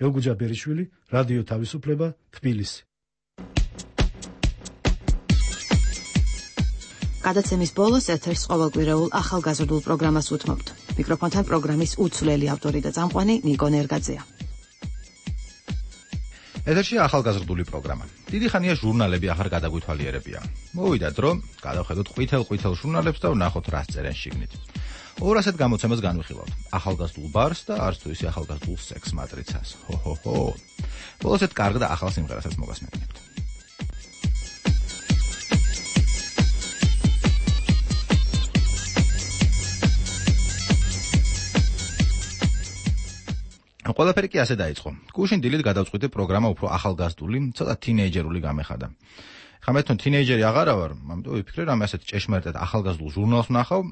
ელგუჯა ბერიშვილი, რადიო თავისუფლება, თბილისი. გადაცემის ბოლოს ეთერს ყოველკვირეულ ახალგაზრდულ პროგრამას უთმობთ. მიკროფონთან პროგრამის უცვლელი ავტორი და წამყვანი ნიკო ნერგაძეა. ეთერში ახალგაზრდული პროგრამა. დიდი ხანია ჟურნალები ახარ გადაგვითვალიერებია. მოვიდა დრო, გადავხედოთ ყვითელ-ყვითელ ჟურნალებს და ვნახოთ რა წერენ შიგნით. ორასეთ გამოცემას განვიხილავთ. ახალგაზრდულ ბარს და არც თუ ისე ახალგაზრდულ სექს მატრიცას. ჰო-ჰო-ჰო. ბოლოსეთ კარგ და ახალ სიმღერასაც მოგასმენთ. ყველაფერი კი ასე დაიწყო. გუშინ დილით გადავწყვიტე პროგრამა უფრო ახალგაზრდული, ცოტა თინეიჯერული გამეხადა. ხა მე თვითონ თინეიჯერი აღარა ვარ, ამიტომ ვიფიქრე რომ ასეთ ჭეშმარიტად ახალგაზრდულ ჟურნალს ვნახავ,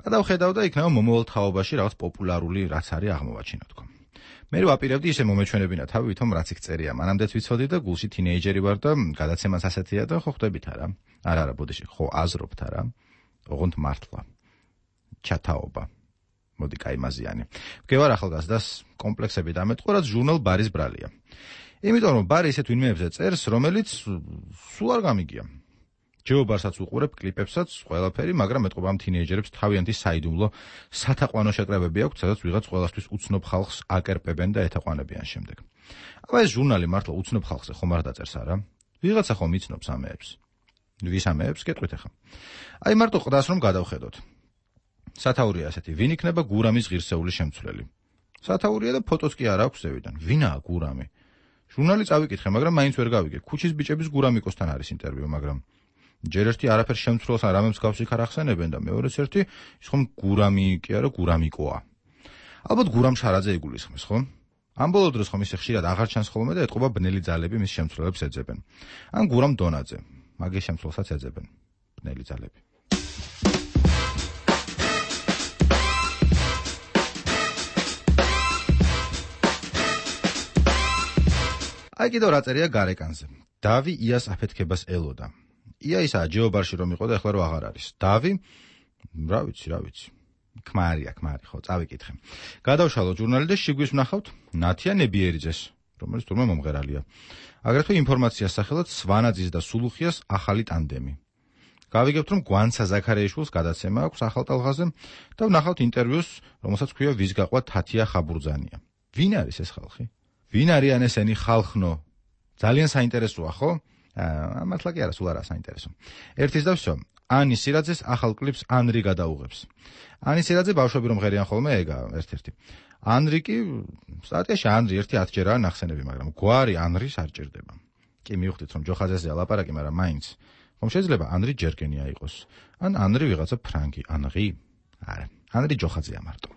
გადავხედავ და იქნება მომავალ თაობაში რაღაც პოპულარული რაც არის აღმოვაჩინო თქო. მე ვაპირებდი ისე მომეჩვენებინა თავი ვითომ რაც იქ წერია, მანამდეც ვიცოდი და გულში თინეიჯერი ვარ და გადაცემას ასეთია და ხო ხვდებით არა? არა არა, ბოდიში, ხო აზრობთ არა? ოღონდ მართლა. ჩათაობა. მოდი კაიმაზიანი. მგევარ ახალგაზრდას კომპლექსები დამეტყო, რაც ჟურნალ ბარის ბრალია. იმიტომ რომ ბარი ისეთ ვინმეებზე წერს, რომელიც სულ არ გამიგია. ჯეობარსაც უყურებ, კლიპებსაც, ყველაფერი, მაგრამ მეტყობა ამ თინეიჯერებს თავიანთი საიდუმლო სათაყვანო შეკრებები აქვს, სადაც ვიღაც ყველასთვის უცნობ ხალხს აკერპებენ და ეთაყვანებიან შემდეგ. აბა ეს ჟურნალი მართლა უცნობ ხალხზე ხომ არ დაწერს არა? ვიღაცა ხომ იცნობს ამეებს. ვის ამეებს გეტყვით ახლა. აი მარტო ყდას რომ გადავხედოთ. სათაურია ასეთი, ვინ იქნება გურამის ღირსეული შემცვლელი? სათაურია და ფოტოც კი არ აქვს ზევიდან. ვინაა გურამი? ჟურნალი წავიკითხე, მაგრამ მაინც ვერ გავიგე. ქუჩის ბიჭების გურამიკოსთან არის ინტერვიუ, მაგრამ ჯერ ერთი არაფერ შემცვლელს ან რამე მსგავსი იქ არ ახსენებენ და მეორეც ერთი ის ხომ გურამი კი არა, გურამიკოა. ალბათ გურამ შარაძე იგულისხმეს, ხო? ამ ბოლო დროს ხომ ისე ხშირად აღარ ჩანს ხოლმე და ეტყობა ბნელი ძალები მის შემცვლელებს ეძებენ. ან გურამ დონაძე, მაგის შემცვლელსაც ეძებენ ბნელი ძალები. აი კიდევ რა წერია გარეკანზე. დავი იას აფეთქებას ელოდა. ია ისა ჯეობარში რომ იყო და ეხლა რო აღარ არის. დავი რა ვიცი, რა ვიცი. ქმარია, ქმარი, ხო, წავიკითხე. გადავშალო ჟურნალი და შიგვის ვნახავთ ნათია ნებიერიძეს, რომელიც თურმე მომღერალია. აგრეთვე ინფორმაციას სახელად სვანაძის და სულუხიას ახალი ტანდემი. გავიგებთ, რომ გვანცა ზაქარეიშვილს გადაცემა აქვს ახალ ტალღაზე და ვნახავთ ინტერვიუს, რომელსაც ქვია ვის გაყვა თათია ხაბურძანია. ვინ არის ეს ხალხი? ვინ არიან ესენი ხალხნო? ძალიან საინტერესოა, ხო? აა, მართლა კი არა, სულ არა საინტერესო. ერთის და всё. ანი სირაძეს ახალ კლიპს ანრი გადაუღებს. ანი სირაძე ბავშვები რომ ღერიან ხოლმე ეგა ერთ-ერთი. ანრი კი სტატიაში ანრი ერთი ათი ჯერაა ნახსენები, მაგრამ გვარი ანრის არ ჭირდება. კი მივხვდით რომ ჯოხაძეზეა ლაპარაკი, მაგრამ მაინც ხომ შეიძლება ანრი ჯერგენია იყოს. ან ანრი ვიღაცა ფრანგი, ანრი? არა, ანრი ჯოხაძეა მარტო.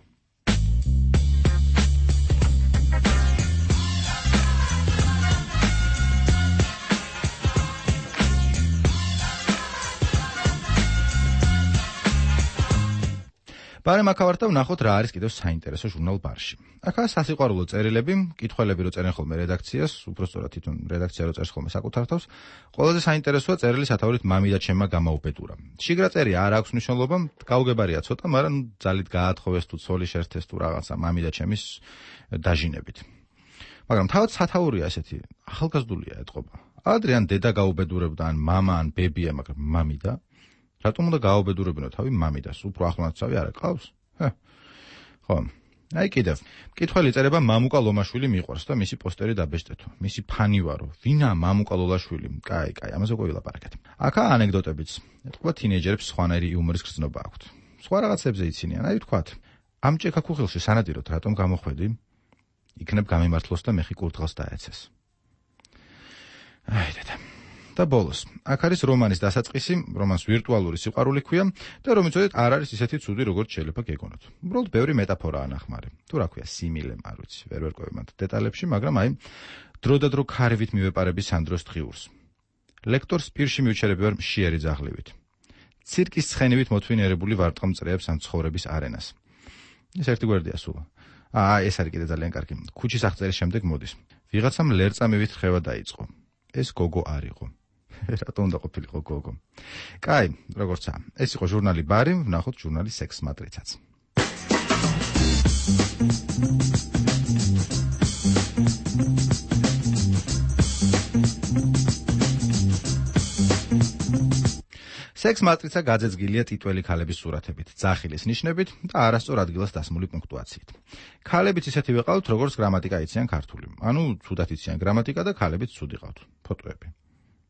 ბარემ აქავართა ვნახოთ რა არის კიდევ საინტერესო ჟურნალ ბარში. აქაა სასიყვარულო წერილები, კითხველები რო წერენ ხოლმე რედაქციას, უბრალოდ თვითონ რედაქცია რო წერს ხოლმე საკუთარ თავს. ყველაზე საინტერესოა წერილი სათაურით მამიდა ჩემმა გამაუპეტურა. შიგრა წერია არ აქვს მნიშვნელობა, გაუგებარია ცოტა, მაგრამ ძალით გაათხოვეს თუ ცოლი შერთეს თუ რაღაცა მამიდა ჩემის დაჟინებით. მაგრამ თავად სათაურია ესეთი, ახალგაზრდულია ეთყობა. ადრიან დედა გაუბედურებდა ან მამა ან ბებია, მაგრამ მამიდა რატომ უნდა გააუბედურებინო თავი მამიდას? უფრო ახლონაცავი არ აკავს? ჰე. ხო. აი კიდევ. მკითხველი წერება მამუკა ლომაშვილი მიყვარს და მისი პოსტერი დაბეჭდეთო. მისი ფანი ვარო. ვინა მამუკა ლომაშვილი? კაი, კაი, ამაზე ყო ვილაპარაკეთ. აქაა ანეკდოტებიც. ეთქვა თინეიჯერებს სხვანაირი იუმორის გრძნობა აქვთ. სხვა რაღაცებზე იცინიან, აი ვთქვათ. ამ ჭექაქუხილში სანადიროთ რატომ გამოხვედი? იქნებ გამიმართლოს და მეხი კურდღელს დაეცეს. აი დედა. და ბოლოს, აქ არის რომანის დასაწყისი, რომანს ვირტუალური სიყვარული ქვია და რომიცოდეთ არ არის ისეთი ცუდი, როგორც შეიძლება გეგონოთ. უბრალოდ ბევრი მეტაფორაა ნახმარი. თუ რა ქვია, სიმილე, არ ვიცი, ვერ ვერკვევი მათ დეტალებში, მაგრამ აი დრო და დრო ქარივით მივეპარები სანდროს თხიურს. ლექტორს პირში მივჩერები ვარ მშიერი ძაღლივით. ცირკის ცხენივით მოთვინერებული ვარტყამწრეებს ან ცხოვრების არენას. ეს ერთი გვერდია სულ. აა, ეს არის კიდე ძალიან კარგი. ქუჩის აღწერის შემდეგ მოდის. ვიღაცამ ლერწამივით ხევა დაიწყო. ეს გოგო არ იყო. რატომ უნდა ყოფილიყო გოგო? კაი, როგორცაა. ეს იყო ჟურნალი ბარი, ვნახოთ ჟურნალი სექს მატრიცაც. სექს მატრიცა გაძეძგილია ტიტველი ქალების სურათებით, ძახილის ნიშნებით და არასწორ ადგილას დასმული პუნქტუაციით. ქალებიც ისეთივე ყავთ, როგორც გრამატიკა იციან ქართული. ანუ ცუდად იციან გრამატიკა და ქალებიც ცუდი ყავთ. ფოტოები.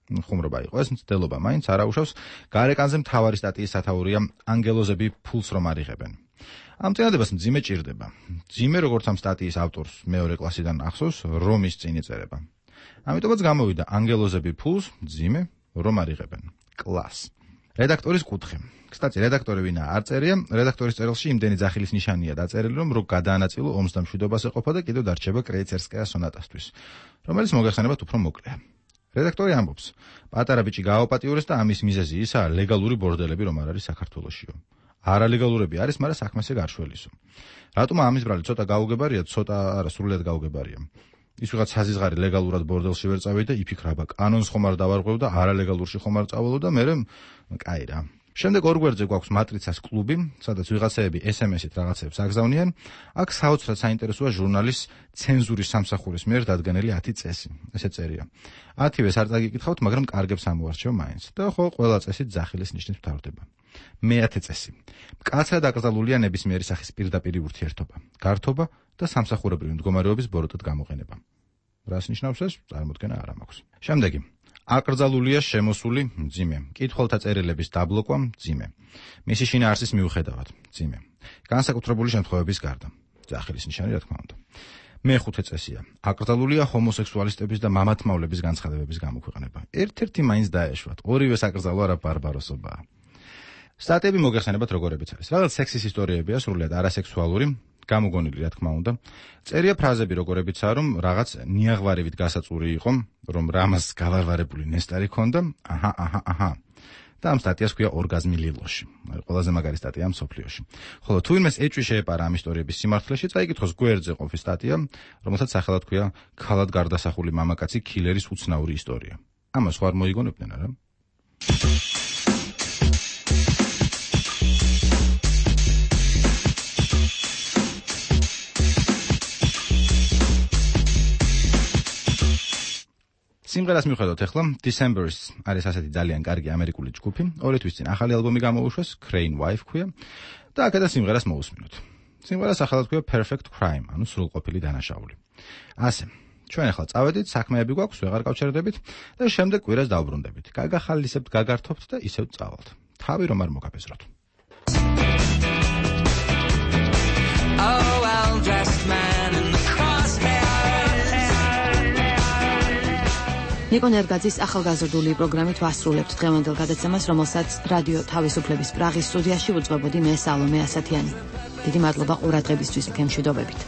ხუმრობა იყო ეს, მცდელობა მაინც არ აუშავს. გარეკანზე მთავარი სტატიის სათაურია ანგელოზები ფულს რომ არიღებენ. ამ წინადებას მძიმე ჭირდება. მძიმე როგორც ამ სტატიის ავტორს მეორე კლასიდან ახსოვს, რომის წინ იწერება. ამიტომაც გამოვიდა ანგელოზები ფულს მძიმე რომ არიღებენ. კლას. რედაქტორის კუთხე. კстати, რედაქტორი ვინა არ წერია, რედაქტორის წერილში იმდენი ძახილის ნიშანია დაწერილი, რომ რო გადაანაწილო ომს და მშვიდობას ეყოფა და კიდევ დარჩება კრეიცერსკაია სონატასთვის, რომელიც მოგეხსენებათ უფრო მოკლეა. რედაქტორი ამბობს, პატარა ბიჭი გააოპატიურეს და ამის მიზეზი ისაა ლეგალური ბორდელები რომ არ არის საქართველოშიო. არალეგალურები არის, მაგრამ საქმესე გარშველისო. რატომ ამის ბრალი ცოტა გაუგებარია, ცოტა არა სრულიად გაუგებარია. ის ვიღაც საზიზღარი ლეგალურად ბორდელში ვერ წავიდა, იფიქრება, კანონს ხომ არ დავარღვევ და არალეგალურში ხომ არ წავალო და მერე კაი რა. შემდეგ ორ გვერდზე გვაქვს მატრიცას კლუბი, სადაც ვიღაცეები ეს ემ ეს-ით რაღაცებს აგზავნიან. აქ საოცრად საინტერესოა ჟურნალის ცენზურის სამსახურის მიერ დადგენილი ათი წესი. ესე წერია. ათივეს არ წაგიკითხავთ, მაგრამ კარგებს ამოვარჩევ მაინც. და ხო, ყველა წესი ძახილის ნიშნით მთავრდება. მეათე წესი. მკაცრად აკრძალულია ნებისმიერი სახის პირდაპირი ურთიერთობა, გართობა და სამსახურებრივი მდგომარეობის ბოროტად გამოყენება. რას ნიშნავს ეს? წარმოდგენა არ მაქვს. შემდეგი. აკრძალულია შემოსული მძიმე. კითხველთა წერილების დაბლოკვა მძიმე. მისი შინაარსის მიუხედავად მძიმე. განსაკუთრებული შემთხვევების გარდა. ძახილის ნიშანი რა თქმა უნდა. მეხუთე წესია. აკრძალულია ჰომოსექსუალისტების და მამათმავლების განცხადებების გამოქვეყნება. ერთ-ერთი მაინც დაეშვათ. ორივე საკრძალვა რა ბარბაროსობაა. სტატიები მოგეხსენებათ როგორებიც არის. რაღაც სექსის ისტორიებია, სრულიად არასექსუალური, გამოგონილი რა თქმა უნდა. წერია ფრაზები როგორებიცაა, რომ რაღაც ნიაღვარივით გასაწური იყო, რომ რამას გავარვარებული ნესტარი ქონდა. აჰა, აჰა, აჰა. და ამ სტატიას ქვია ორგაზმი ლილოში. ყველაზე მაგარი სტატია მსოფლიოში. ხოლო თუ ვინმეს ეჭვი შეეპარა ამ ისტორიების სიმართლეში, წაიკითხოს გვერდზე ყოფის სტატია, რომელსაც სახელად ქვია ქალად გარდასახული მამაკაცი კილერის უცნაური ისტორია. ამას ხო არ მოიგონებდნენ არა? სიმღერას მივხვდეთ ახლა December's არის ასეთი ძალიან კარგი ამერიკული ჯგუფი, ორი თვის წინ ახალი ალბომი გამოუშვეს, Crane Wife ქვია და აქედან სიმღერას მოусმინოთ. სიმღერას სახელად ქვია Perfect Crime, ანუ სრულყოფილი დანაშაული. ასე, ჩვენ ახლა წავედით, საქმეები გვაქვს, ვეღარ გავჩერდებით და შემდეგ კვირას დავბრუნდებით. გაგახალისებთ, გაგართობთ და ისევ წავალთ. თავი რომ არ მოგაბეზროთ. Oh, well dressed man in the ნიკო ნერგაძის ახალგაზრდული პროგრამით ვასრულებთ დღევანდელ გადაცემას, რომელსაც რადიო თავისუფლების პრაღის სტუდიაში უძღვებოდი მე სალომე ასათიანი. დიდი მადლობა ყურადღებისთვის, გემშვიდობებით.